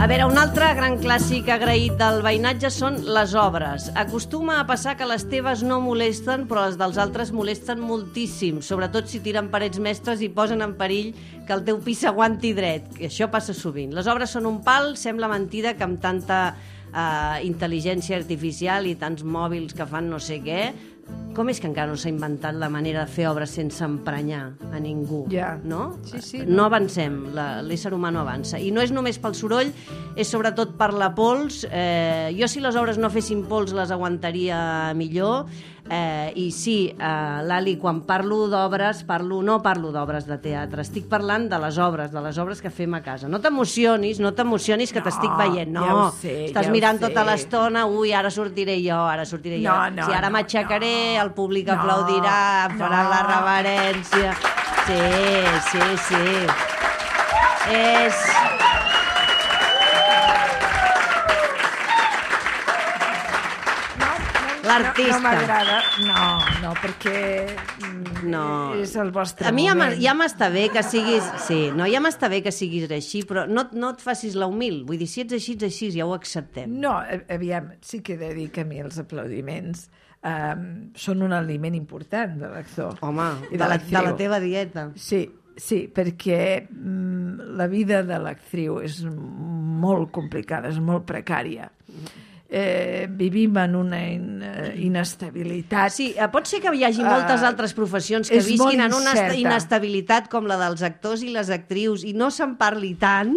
A veure, un altre gran clàssic agraït del veïnatge són les obres. Acostuma a passar que les teves no molesten, però les dels altres molesten moltíssim, sobretot si tiren parets mestres i posen en perill que el teu pis s'aguanti dret, que això passa sovint. Les obres són un pal, sembla mentida que amb tanta eh, intel·ligència artificial i tants mòbils que fan no sé què, com és que encara no s'ha inventat la manera de fer obres sense emprenyar a ningú? Ja. No? Sí, sí, no. no avancem, la, l'ésser humà no avança. I no és només pel soroll, és sobretot per la pols. Eh, jo, si les obres no fessin pols, les aguantaria millor. Eh, I sí, eh, Lali, quan parlo d'obres, parlo, no parlo d'obres de teatre, estic parlant de les obres, de les obres que fem a casa. No t'emocionis, no t'emocionis que No, t'estic veient, no. ja ho sé, Estàs ja ho mirant sé. tota l'estona, ui, ara sortiré jo, ara sortiré jo. No, no, si ara no, m'aixecaré, no. el públic No, aplaudirà, farà no. la reverència. Sí, sí, sí. És... L'artista. No, no m'agrada, no, no, perquè mm, No. és el vostre A mi ja, moment. m'ha- ja m'està bé que siguis... Sí, no, ja m'està bé que siguis així, però no, no et facis la humil. Vull dir, si ets així, ets així, ja ho acceptem. No, a- aviam, sí que he de dir que a mi els aplaudiments um, són un aliment important de l'actor. Home, I de la, de l'actriu. la teva dieta. Sí, sí, perquè mm, la vida de l'actriu és molt complicada, és molt precària. Eh, vivim en una in, eh, inestabilitat. Sí, eh, pot ser que hi hagi Uh, moltes altres professions que és visquin molt en una incerta. inestabilitat com la dels actors i les actrius i no se'n parli tant.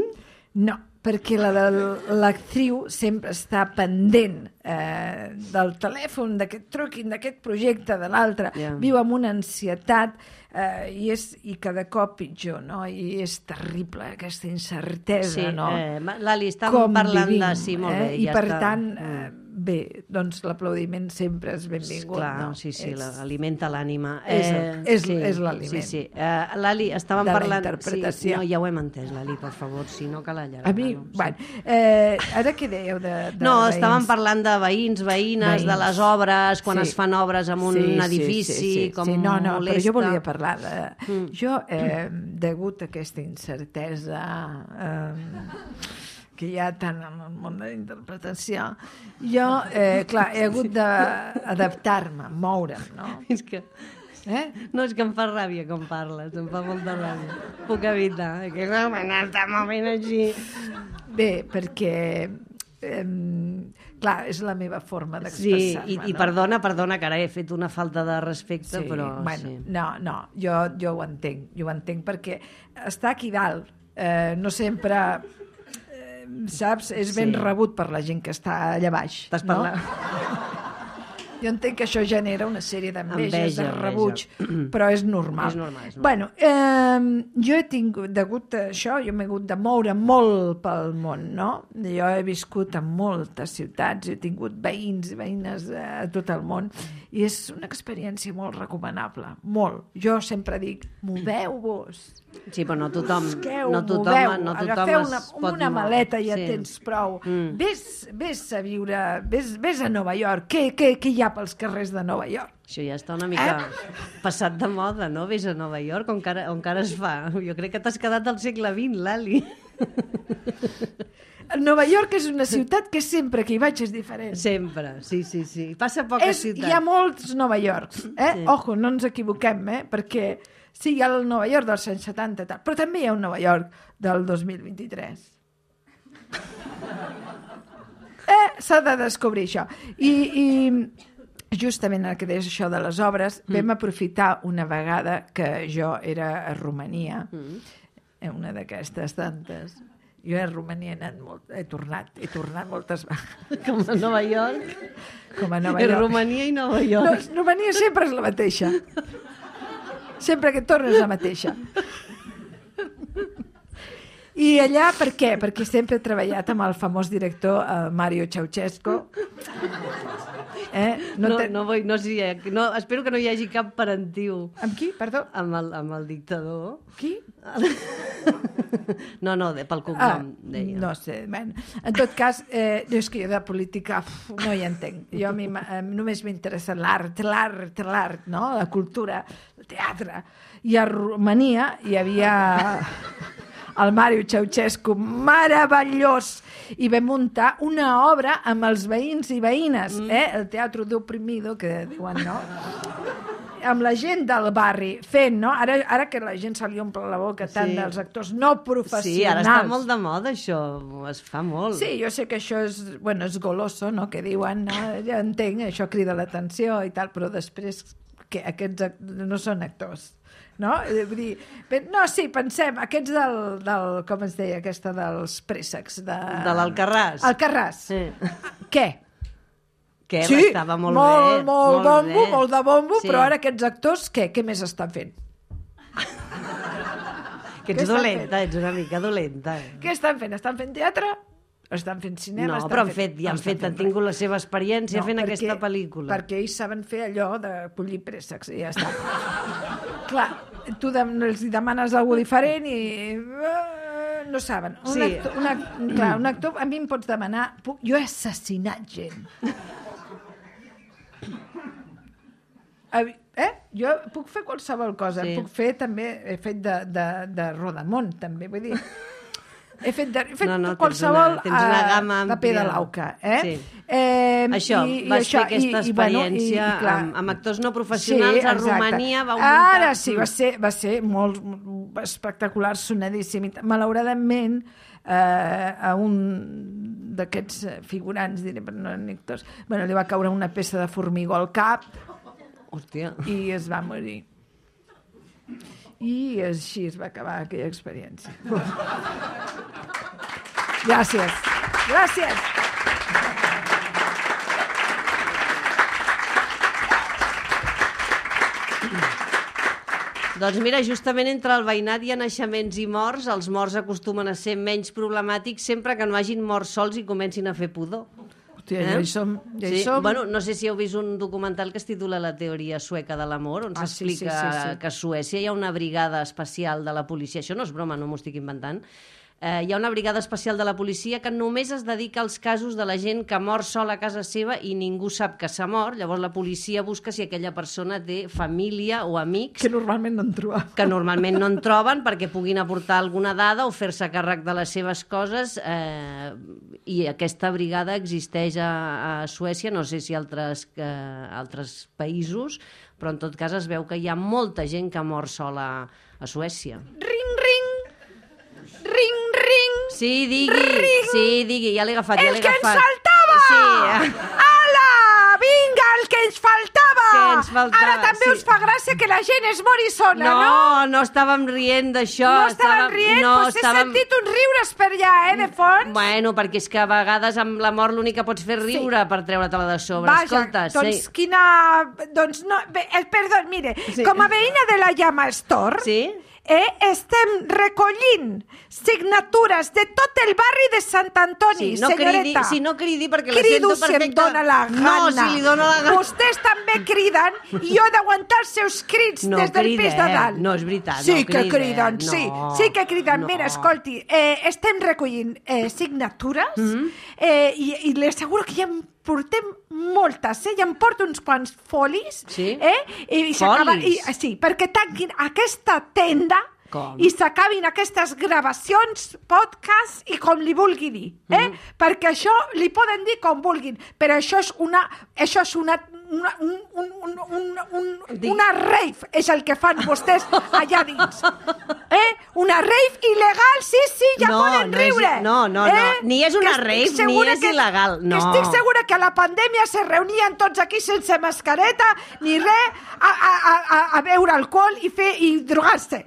No, perquè la de l'actriu sempre està pendent eh, del telèfon, d'aquest truquin, d'aquest projecte, de l'altre. Ja. Viu amb una ansietat eh, i, és, i cada cop pitjor, no? I és terrible, aquesta incertesa, Sí, no? eh, Lali, estàvem parlant vivim, de... Sí, molt bé, eh? I ja per està. tant, eh, bé, doncs l'aplaudiment sempre és benvingut. Clar, no? sí, sí, És- la- alimenta l'ànima. és el- és- és l'aliment. Sí, sí. Uh, Lali, estàvem De la parlant... interpretació. Sí, no, ja ho hem entès, Lali, per favor, si no cal allargar. A mi, no? Sí. bueno, eh, ara què dèieu de, de No, veïns? estàvem parlant de veïns, veïnes, Veïns. de les obres, quan Sí. es fan obres en un Sí, sí, edifici, sí, sí, com sí. No, no, molesta. però jo volia parlar de... Mm. Jo, eh, degut a aquesta incertesa eh, que hi ha tant en el món de la interpretació, jo, eh, clar, he hagut d'adaptar-me, moure'm, no? És que... Eh? No, és que em fa ràbia com parles, em fa molta ràbia. Puc evitar, eh, que no m'anava movent així. Bé, perquè... Eh, clar, és la meva forma Sí, d'expressar-me. i, i no? perdona, perdona, que ara he fet una falta de respecte, Sí, però... bueno, sí. no, no, jo, jo ho entenc, jo ho entenc perquè està aquí dalt, eh, no sempre, eh, saps, és ben Sí. rebut per la gent que està allà baix. Estàs no? parlant... Jo entenc que això genera una sèrie d'enveges, Enveja, de rebuig, però és normal. És normal, és normal. Bueno, eh, jo he tingut, degut a això, jo m'he hagut de moure molt pel món, no? Jo he viscut en moltes ciutats, he tingut veïns i veïnes a tot el món, i és una experiència molt recomanable, molt. Jo sempre dic, moveu-vos. Sí, però no tothom, Busqueu, no tothom, moveu, no tothom agafeu es una, pot una moure. maleta i ja Sí. tens prou. Mm. Ves, ves a viure, ves, ves a Nova York. Què, què, què hi ha pels carrers de Nova York? Això ja està una mica passat de moda, no? Vés a Nova York, on encara, on encara es fa. Jo crec que t'has quedat al segle vint, Lali. Nova York és una ciutat que sempre que hi vaig és diferent. Sempre, sí, sí, sí. Passa a poques És, ciutats. hi ha molts Nova Yorks, eh? Sí. Ojo, no ens equivoquem, eh? Perquè sí, hi ha el Nova York dels anys setanta, tal, però també hi ha un Nova York del dos mil vint-i-tres. Eh? S'ha de descobrir això. I, i justament el que deies això de les obres, mm. vam aprofitar una vegada que jo era a Romania, mm. una d'aquestes tantes. Jo a Romania he anat molt, he tornat, he tornat moltes vegades. Com a Nova York. Com a Nova En York. Romania i Nova York. No, Romania sempre és la mateixa. Sempre que tornes la mateixa. I allà, per què? Perquè sempre he treballat amb el famós director eh, Mario Ceausescu. Eh? No, no, te... no, vull, no, sí, no, espero que no hi hagi cap parentiu Amb qui? Perdó? amb el, amb el dictador. Qui? No, no, de, pel Ah, cognom, deia. no sé. Ben, en tot cas, eh, jo és que jo de política uf, no hi entenc. Jo a mi eh, només m'interessa l'art, l'art, l'art, no? La cultura, el teatre. I a Romania hi havia el Mario Ceausescu, meravellós, i vam muntar una obra amb els veïns i veïnes, eh? El Teatro de Oprimido, que diuen, no? Amb la gent del barri fent, no? Ara, ara que la gent se li omple la boca tant Sí. dels actors no professionals. Sí, ara està molt de moda, això. Es fa molt. Sí, jo sé que això és, bueno, és goloso, no?, que diuen, no? Ja entenc, això crida l'atenció i tal, però després que aquests act- no són actors, no? Eh, Vull dir, bé, no, sí, pensem, aquests del, del com es deia, aquesta dels préssecs, de... De l'Alcarràs. Alcarràs. Sí. Què? Que Sí, estava molt, molt, bé. molt bombo, bé. molt de bombo, Sí. però ara aquests actors, què? Què més estan fent? Que Què ets estan dolenta, ets una mica dolenta. Eh? Què estan fent? Estan fent teatre? Estan fent cinema? No, estan però han fet, ja han, estan fet, han fent tingut res. la seva experiència fent perquè, aquesta pel·lícula. Perquè ells saben fer allò de collir préssecs i ja està. Clar, tu de, els hi demanes alguna diferent i uh, no saben. Un, Sí. actor, un, act- clar, un actor, a mi em pots demanar... Puc, jo he assassinat gent. Eh? Jo puc fer qualsevol cosa. Sí. Puc fer també... He fet de, de, de Rodamont, també. Vull dir... He fet, de, he fet No, no, tens qualsevol una- tens una eh, gamma de àmplia. Pedalauca. Eh? Sí. Eh, Això, i- i vas això, fer aquesta i- i, bueno, i- experiència i, clar, amb, amb actors no professionals a exacte. Romania, va muntar... Ara sí, va ser, va ser molt espectacular, sonadíssim. I malauradament, eh, a un d'aquests figurants, diré, però no eren actors, bueno, li va caure una peça de formigó al cap Hòstia. i es va morir. I així es va acabar aquella experiència. Gràcies. Gràcies. Doncs mira, justament entre el veïnat hi ha naixements i morts, els morts acostumen a ser menys problemàtics sempre que no hagin mort sols i comencin a fer pudor. Hòstia, ja hi som. Ja hi sí. som. Bueno, no sé si heu vist un documental que es titula La teoria sueca de l'amor, on Ah, sí, s'explica sí, sí, sí. que a Suècia hi ha una brigada especial de la policia. Això no és broma, no m'ho estic inventant. Eh, hi ha una brigada especial de la policia que només es dedica als casos de la gent que mor sola a casa seva i ningú sap que s'ha mort. Llavors la policia busca si aquella persona té família o amics Que normalment no en trobam. que normalment no en troben perquè puguin aportar alguna dada o fer-se càrrec de les seves coses, eh, i aquesta brigada existeix a, a Suècia, no sé si altres, eh, altres països, però en tot cas es veu que hi ha molta gent que mor sola a Suècia. Ring, ring. Ring, ring. Sí, digui, Ring. sí, digui, ja l'he agafat, ja El l'he que ens agafat. faltava! Sí. Ala! Vinga, el que ens faltava! Què? ens faltava. Ara també sí. us fa gràcia que la gent es mori sola, no? No, no estàvem rient d'això. No estàvem rient? No, pues he estàvem... sentit uns riures per allà, eh, de fons. Bueno, perquè és que a vegades amb la mort l'únic que pots fer riure sí. per treure-te-la de sobre. Vaja, Escolta, doncs sí. quina... Doncs no... Bé, eh, perdó, mire, sí. com a veïna de la Llama Store... Sí? Eh, estem recollint signatures de tot el barri de Sant Antoni, sí, no senyoreta. Cridi, si no cridi perquè Crido la sento perfecta. si em dóna la gana. No, si li dóna la gana. Vostès també criden i jo he d'aguantar els seus crits no des del cridem. pis de dalt. No, és veritat, sí no que cridem. criden, no, sí, sí que criden. No. Mira, escolti, eh, estem recollint eh, signatures Mm-hmm. eh, i, i li asseguro que ja en portem moltes, eh? Ja em porto uns quants folis. Sí? Eh? I, i s'acaba- Folis? I, sí, perquè tanquin aquesta tenda Com? i s'acabin aquestes gravacions, podcast i com li vulgui dir, eh? Mm. Perquè això li poden dir com vulguin, però això és una, això és una, una, un, un, un, un, un, una rave, és el que fan vostès allà dins. Eh? Una rave il·legal, sí, sí, ja No, poden no és- riure. no, no, no. Eh? Ni és una Que estic rave, ni segura és il·legal, no. Que estic segura que a la pandèmia se reunien tots aquí sense mascareta ni res a, a, a, a beure alcohol i fer i drogar-se.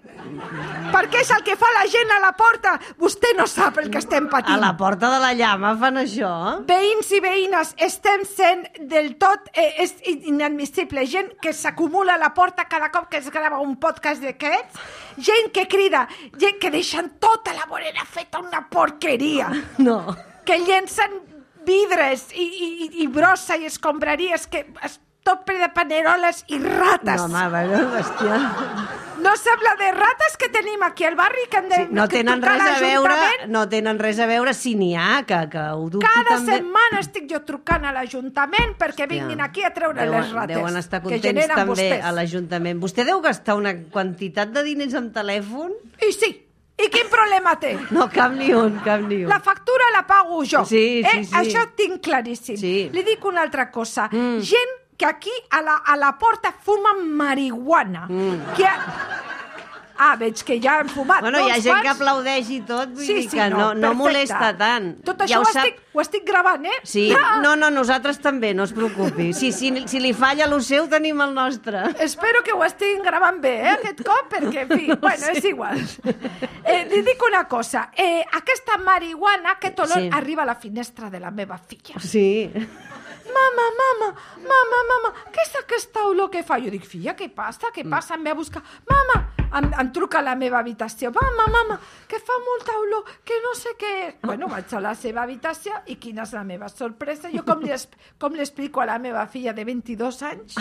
Perquè és el que fa la gent a la porta. Vostè no sap el que estem patint. A la porta de la llama fan això? Veïns i veïnes, estem sent del tot eh, és inadmissible. Gent que s'acumula a la porta cada cop que es grava un podcast d'aquests. Gent que crida, gent que deixen tota la vorera feta una porqueria. No. Que llencen vidres i, i, i brossa i escombraries que es tot ple de paneroles i rates. No, home, bueno, bèstia. No sembla de rates que tenim aquí al barri que hem de Sí, no que tenen trucar res a veure, l'Ajuntament. no tenen res a veure si n'hi ha, que, que ho dubto Cada també. setmana estic jo trucant a l'Ajuntament perquè vinguin aquí a treure deuen, les rates Deuen estar que contents generen també vostès. a l'Ajuntament. Vostè deu gastar una quantitat de diners en telèfon? I sí, i quin problema té? No, cap ni un, cap ni un. La factura la pago jo. Sí, sí, eh? sí. Això tinc claríssim. Sí. Li dic una altra cosa. Mm. Gent que aquí a la, a la porta fumen marihuana. Mm. Que... Ah, veig que ja han fumat. Bueno, no, hi ha uns gent quants? que aplaudeix i tot, vull Sí, dir sí, que no, no, no perfecte. molesta tant. Tot això ja ho, ho sap... estic, ho estic gravant, eh? Sí, no, no, nosaltres també, no es preocupi. Sí, si, si li falla el seu, tenim el nostre. Espero que ho estiguin gravant bé, eh, aquest cop, perquè, en fi, bueno, sé. és igual. Eh, li dic una cosa. Eh, aquesta marihuana, aquest olor, Sí. arriba a la finestra de la meva filla. Sí. Mama, mama, mama, mama, què és aquesta olor que fa? Jo dic, filla, què passa? Què passa? Em ve a buscar. Mama, em, em truca a la meva habitació. Mama, mama, que fa molta olor, que no sé què és. Bueno, vaig a la seva habitació i quina és la meva sorpresa. Jo com li, es- com li explico a la meva filla de vint-i-dos anys?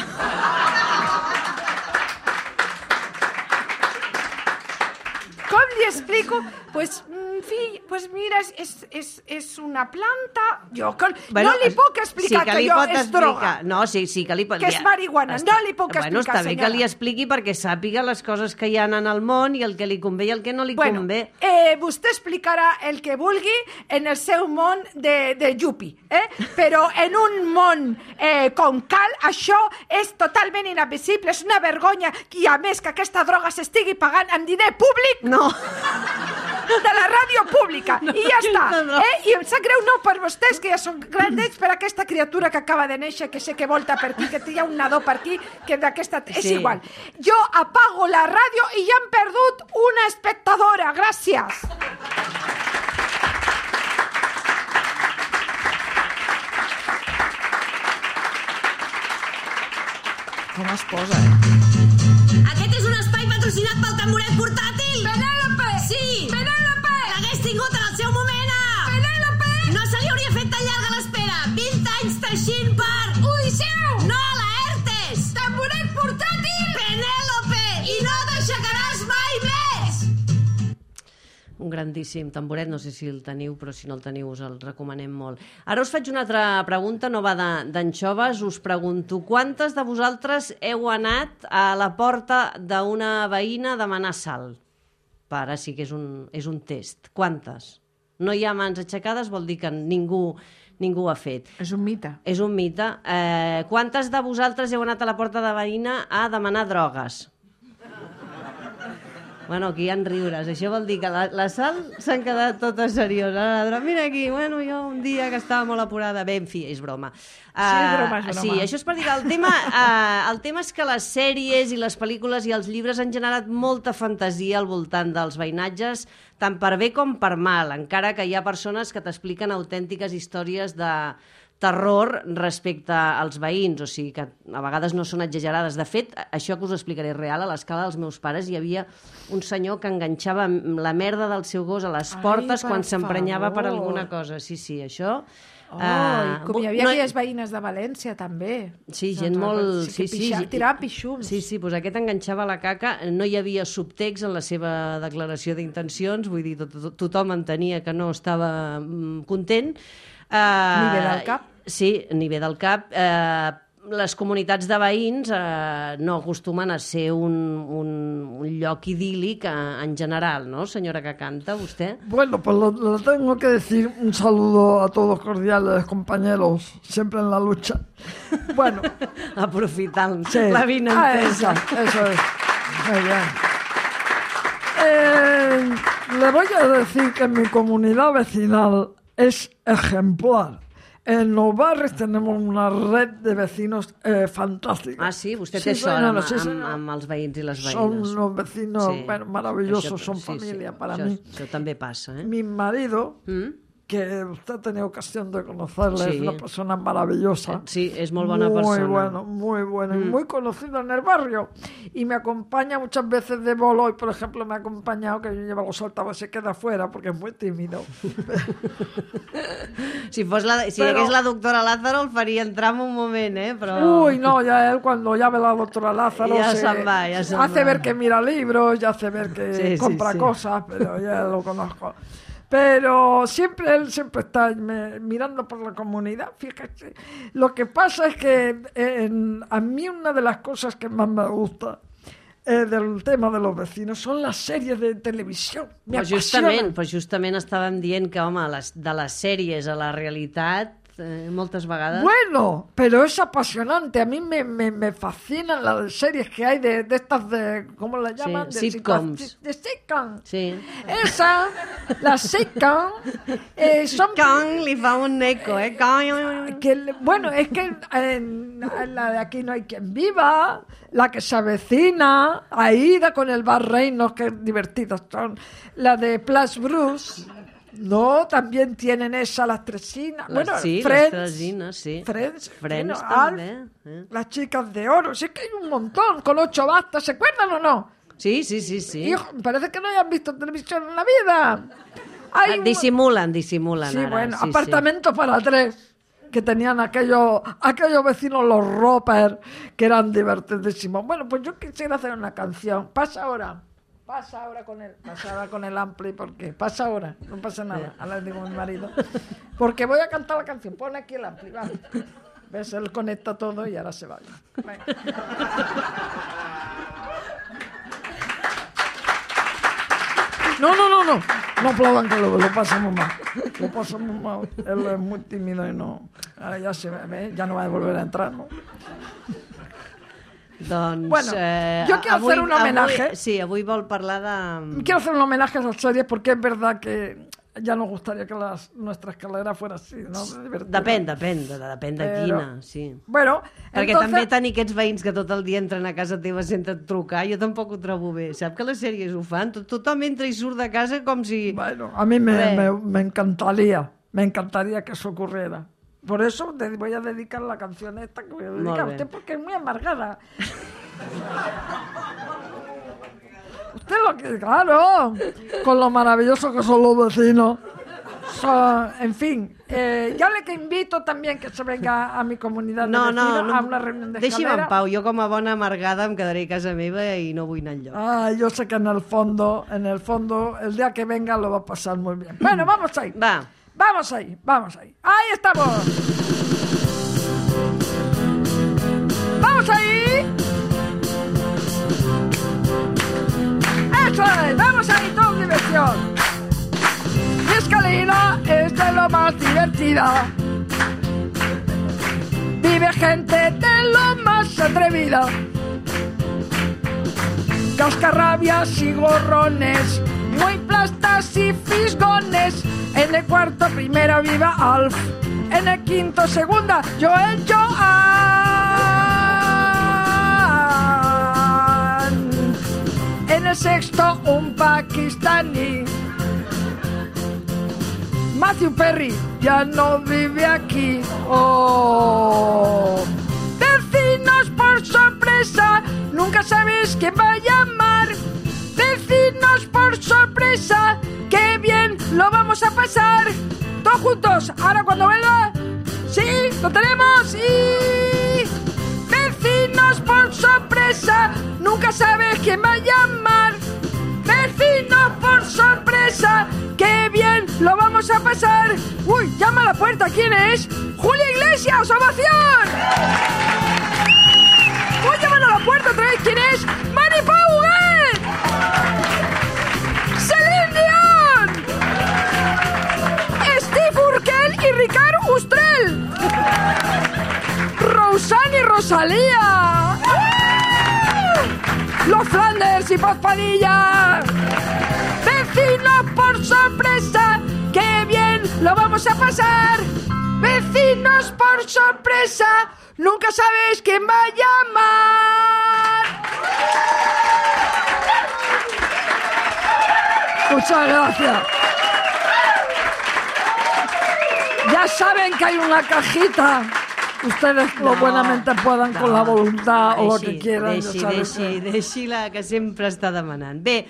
Com li explico? Pues, mm, fill, pues mira, és, és, és una planta... Jo que, Bueno, no li puc explicar sí que, que, li jo pot és explicar. droga. No, sí, sí que li pot... Que és marihuana, no li puc Bueno, explicar, està bé que senyora. li expliqui perquè sàpiga les coses que hi ha en el món i el que li convé i el que no li Bueno, convé. eh, vostè explicarà el que vulgui en el seu món de, de Yupi, eh? Però en un món eh, com cal, això és totalment inadmissible, és una vergonya i a més que aquesta droga s'estigui pagant amb diner públic No, de la ràdio pública, no, i ja està. no, no. Eh? I em sap greu no per vostès, que ja són grandets, per aquesta criatura que acaba de néixer, que sé que volta per aquí, que hi ha un nadó per aquí, que d'aquesta... És Sí. igual. Jo apago la ràdio i ja hem perdut una espectadora. Gràcies. com es posa, eh? Aquest és un espai patrocinat pel tamboret portàtil. Penèlope! Sí! Penèlope! L'hagués tingut en el seu moment. ah! Penèlope! No se li hauria fet tan llarga l'espera. vint anys teixint per... Odisseu! No a la ERTES! Tamboret portàtil! Penèlope! I no t'aixecaràs mai més! Un grandíssim tamboret, no sé si el teniu, però si no el teniu us el recomanem molt. Ara us faig una altra pregunta, no va de- d'anxoves, us pregunto, quantes de vosaltres heu anat a la porta d'una veïna a demanar sal? Para, sí que és un, és un test. Quantes? No hi ha mans aixecades, vol dir que ningú, ningú ho ha fet. És un mite. És un mite. Eh, quantes de vosaltres heu anat a la porta de veïna a demanar drogues? Bueno, aquí hi ha riures. Això vol dir que la, la Sal s'han quedat totes serioses. Mira aquí, bueno, jo un dia que estava molt apurada. Bé, en fi, és broma. Uh, sí, és broma, és broma. Sí, això és per dir que el tema, uh, el tema és que les sèries i les pel·lícules i els llibres han generat molta fantasia al voltant dels veïnatges, tant per bé com per mal, encara que hi ha persones que t'expliquen autèntiques històries de terror respecte als veïns, o sigui que a vegades no són exagerades. De fet, això que us explicaré real, a l'escala dels meus pares hi havia un senyor que enganxava la merda del seu gos a les portes Ai, quan s'emprenyava per alguna cosa. Sí, sí, això... Oh, uh, com hi havia no, aquelles veïnes de València, també. Sí, gent doncs, molt... Sí, sí, sí, tiraven pixums. Sí, sí, doncs aquest enganxava la caca. No hi havia subtext en la seva declaració d'intencions, vull dir, tot, tot, tothom entenia que no estava mm, content. Uh, ni bé del cap. Sí, ni bé del cap. Uh, les comunitats de veïns eh, no acostumen a ser un, un, un lloc idíl·lic en general, ¿no, señora que canta, usted? Bueno, pues lo, lo tengo que decir, un saludo a todos cordiales, compañeros, siempre en la lucha. Bueno. Aprofitant sí. la vinentesa. Ah, eso es. Muy bien. Eh, le voy a decir que mi comunidad vecinal es ejemplar. En los barrios tenemos una red de vecinos eh, fantástica. Ah, sí? Vostè té sí, sort bueno, amb, sí, amb, amb els veïns i les veïnes. Son unos vecinos sí. bueno, maravillosos, això, son sí, familia sí. para això, mí. Això també passa, eh? Mi marido... ¿Mm? que usted ha tenido ocasión de conocerle, sí. es una persona maravillosa. Sí, es muy buena muy persona. Muy bueno, muy bueno, mm. y muy conocido en el barrio. Y me acompaña muchas veces de bolo, y por ejemplo me ha acompañado, que yo llevo los altavoces y se queda fuera, porque es muy tímido. si fos la, si Pero, hagués la doctora Lázaro, el faria entrar en un moment, eh? Però... Uy, no, ya él cuando ya ve la doctora Lázaro, ya se, se va, ya se hace va. ver que mira libros, ya hace ver que sí, compra sí, sí. cosas, pero ya lo conozco. Pero siempre él siempre está me, mirando por la comunidad. Fíjate, lo que pasa es que en, a mí una de las cosas que más me gusta eh, del tema de los vecinos son las series de televisión. Me pues justament, pues justament estàvem dient que, home, les, de les sèries a la realitat, eh, moltes vegades... Bueno, pero es apasionante. A mí me, me, me fascinan las series que hay de, de estas de... ¿Cómo las llaman? Sí, de sitcoms. De, de sitcom. Sí. Esa, las sitcom, eh, son... Con, li fa un eco, eh? Con. Que, bueno, es que en, en la de Aquí no hay quien viva, la que se avecina, Aida con el Bar Reinos, que divertidas son, la de Plus Bruce... No, también tienen esa, las Tresinas. Las, bueno, sí, Friends, las Tresinas, sí. Friends, Friends bueno, també. Alf, Eh? Las Chicas de Oro. Sí que hay un montón, con ocho bastas, ¿se acuerdan o no? Sí, sí, sí, sí. Hijo, parece que no hayan visto televisión en la vida. Hay un... Disimulan, disimulan. Sí, ara. bueno, sí, apartamentos sí. para tres. Que tenían aquellos, aquellos vecinos, los Roper, que eran divertidísimos. Bueno, pues yo quisiera hacer una canción. Pasa ahora. Pasa ahora con él, pasa ahora con el ampli, porque pasa ahora, no pasa nada. Ahora le digo a mi marido, porque voy a cantar la canción, pon aquí el ampli, va. ¿Ves? Él conecta todo y ahora se va. No, no, no, no, no aplaudan que lo, lo pasamos mal, lo pasamos mal. Él es muy tímido y no, ahora ya se ve, ya no va a volver a entrar, ¿no? Doncs, bueno, eh, yo quiero avui, hacer un homenaje. Avui, sí, avui vol parlar de... Quiero hacer un homenaje a esas series porque es verdad que ya nos gustaría que las, nuestra escalera fuera así, ¿no? Depèn, depèn, depèn de Però, quina, sí. Bueno, perquè entonces... també tenir aquests veïns que tot el dia entren a casa teva sense trucar, jo tampoc ho trobo bé. Sap que les sèries ho fan? Tot, tothom entra i surt de casa com si... Bueno, a mí me, me, me encantaría, me encantaría que eso ocurriera. Por eso te voy a dedicar la canción esta que voy a dedicar a usted porque es muy amargada. Usted lo que, claro, con lo maravilloso que son los vecinos. Son, en fin, eh, yo le que invito también que se venga a mi comunidad de no, vecinos no, no, a una reunión de deixi'm escalera. en pau, jo com a bona amargada em quedaré a casa meva i no vull anar enlloc. Ah, yo sé que en el fondo, en el fondo, el día que venga lo va a pasar muy bien. Bueno, vamos ahí. Va. Vamos ahí, vamos ahí. ¡Ahí estamos! ¡Vamos ahí! ¡Eso es! ¡Vamos ahí, toda diversión! Mi escalera es de lo más divertida. Vive gente de lo más atrevida. cascarrabias y gorrones, muy plastas y fisgones. En el cuarto primera viva Alf, en el quinto segunda Joel Joan, en el sexto un pakistaní. Matthew Perry ya no vive aquí. Oh, vecinos por sorpresa, nunca sabes quién va a llamar. Vecinos por sorpresa, qué bien lo vamos a pasar. Todos juntos, ahora cuando vuelva. Sí, lo tenemos. Y vecinos por sorpresa, nunca sabes quién va a llamar. Vecinos por sorpresa, qué bien lo vamos a pasar. Uy, llama a la puerta, ¿quién es? ¡Julia Iglesias, ovación! Voy llamando a la puerta otra vez, ¿quién es? ¡Mari Pauguet! ¡Celine Dion! ¡Steve Urkel y Ricard Ustrell! ¡Rosanne y Rosalía! ¡Los Flanders y Paz Padilla! ¡Vecinos por sorpresa! ¡Qué bien lo vamos a pasar! ¡Vecinos por sorpresa! ¡Nunca sabes quién va a llamar! Muchas gracias. Ya saben que hay una cajita. Ustedes lo no, buenamente puedan no, con la voluntad deixi, o lo que quieran. Deixi, deixi, deixi la que sempre està demanant. Bé,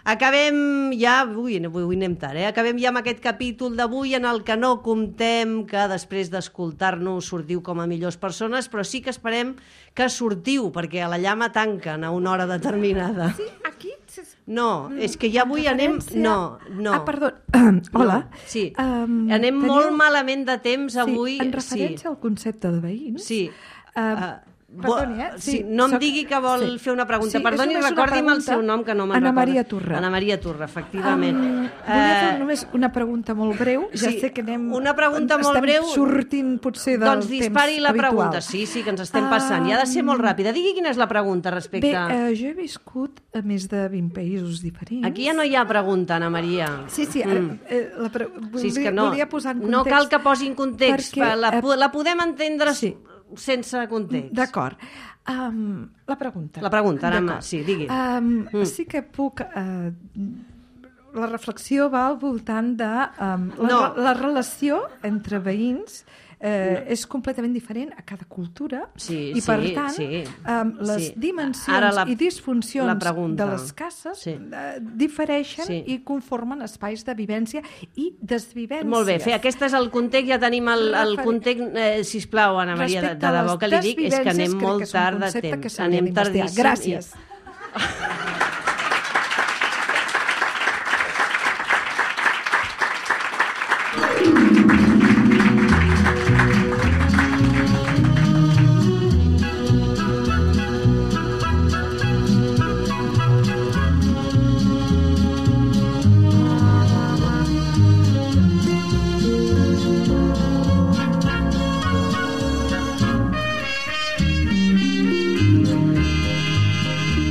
acabem ja... Ui, avui anem tard, eh? Acabem ja amb aquest capítol d'avui en el que no comptem que després d'escoltar-nos sortiu com a millors persones, però sí que esperem que sortiu, perquè a la llama tanquen a una hora determinada. Sí, aquí... No, és que ja avui anem... No, no. Ah, perdó. Uh, hola. No, sí, um, anem teniu... molt malament de temps avui. Sí, en referència sí. al concepte de veïns. Sí. Uh, uh, Perdoni, eh? Sí, sí, no em soc... digui que vol sí. fer una pregunta. Sí, Perdoni, recordi'm el seu nom, que no me'n recordo. Ana Maria Torra. Ana Maria Torra, efectivament. Um, volia fer només una pregunta molt breu. Ja sí, sé que anem... Una pregunta molt estem breu... sortint potser del doncs temps dispari la habitual. pregunta. Sí, sí, que ens estem passant. I ha de ser molt ràpida. Digui quina és la pregunta respecte... Bé, uh, jo he viscut a més de vint països diferents. Aquí ja no hi ha pregunta, Ana Maria. Sí, sí. Mm. Eh, la pre... volia, sí, és que no, volia posar en context... No cal que posi en context. Perquè, la, uh, la podem entendre sí. sense context. D'acord. Um, la pregunta. La pregunta, ara, sí, digui. Um, mm. Sí que puc... Uh, la reflexió va al voltant de... Um, la, no. la relació entre veïns eh, no. és completament diferent a cada cultura sí, i, per sí, tant, sí. um, les sí. dimensions la, i disfuncions de les cases sí. uh, difereixen sí. i conformen espais de vivència i desvivències. Molt bé, Fe, aquest és el context, ja tenim el, el context. Eh, sisplau, Ana Maria, de, de debò que li dic, és que anem molt tard de temps. Anem tardíssim. Gràcies. I...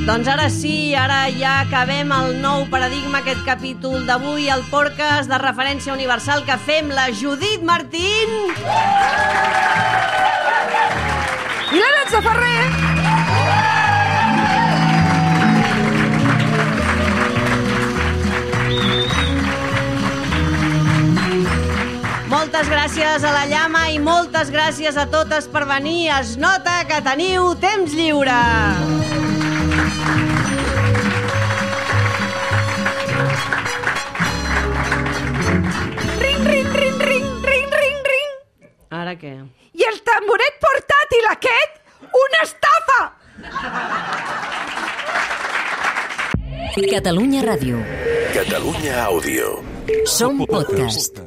Doncs ara sí, ara ja acabem el nou paradigma, aquest capítol d'avui, el podcast de referència universal que fem la Judit Martín i l'Aranxa Ferrer. Moltes gràcies a la Llama i moltes gràcies a totes per venir. Es nota que teniu temps lliure. Ara què? I el tamboret portàtil aquest, una estafa! Catalunya Ràdio. Catalunya Àudio. Som podcast.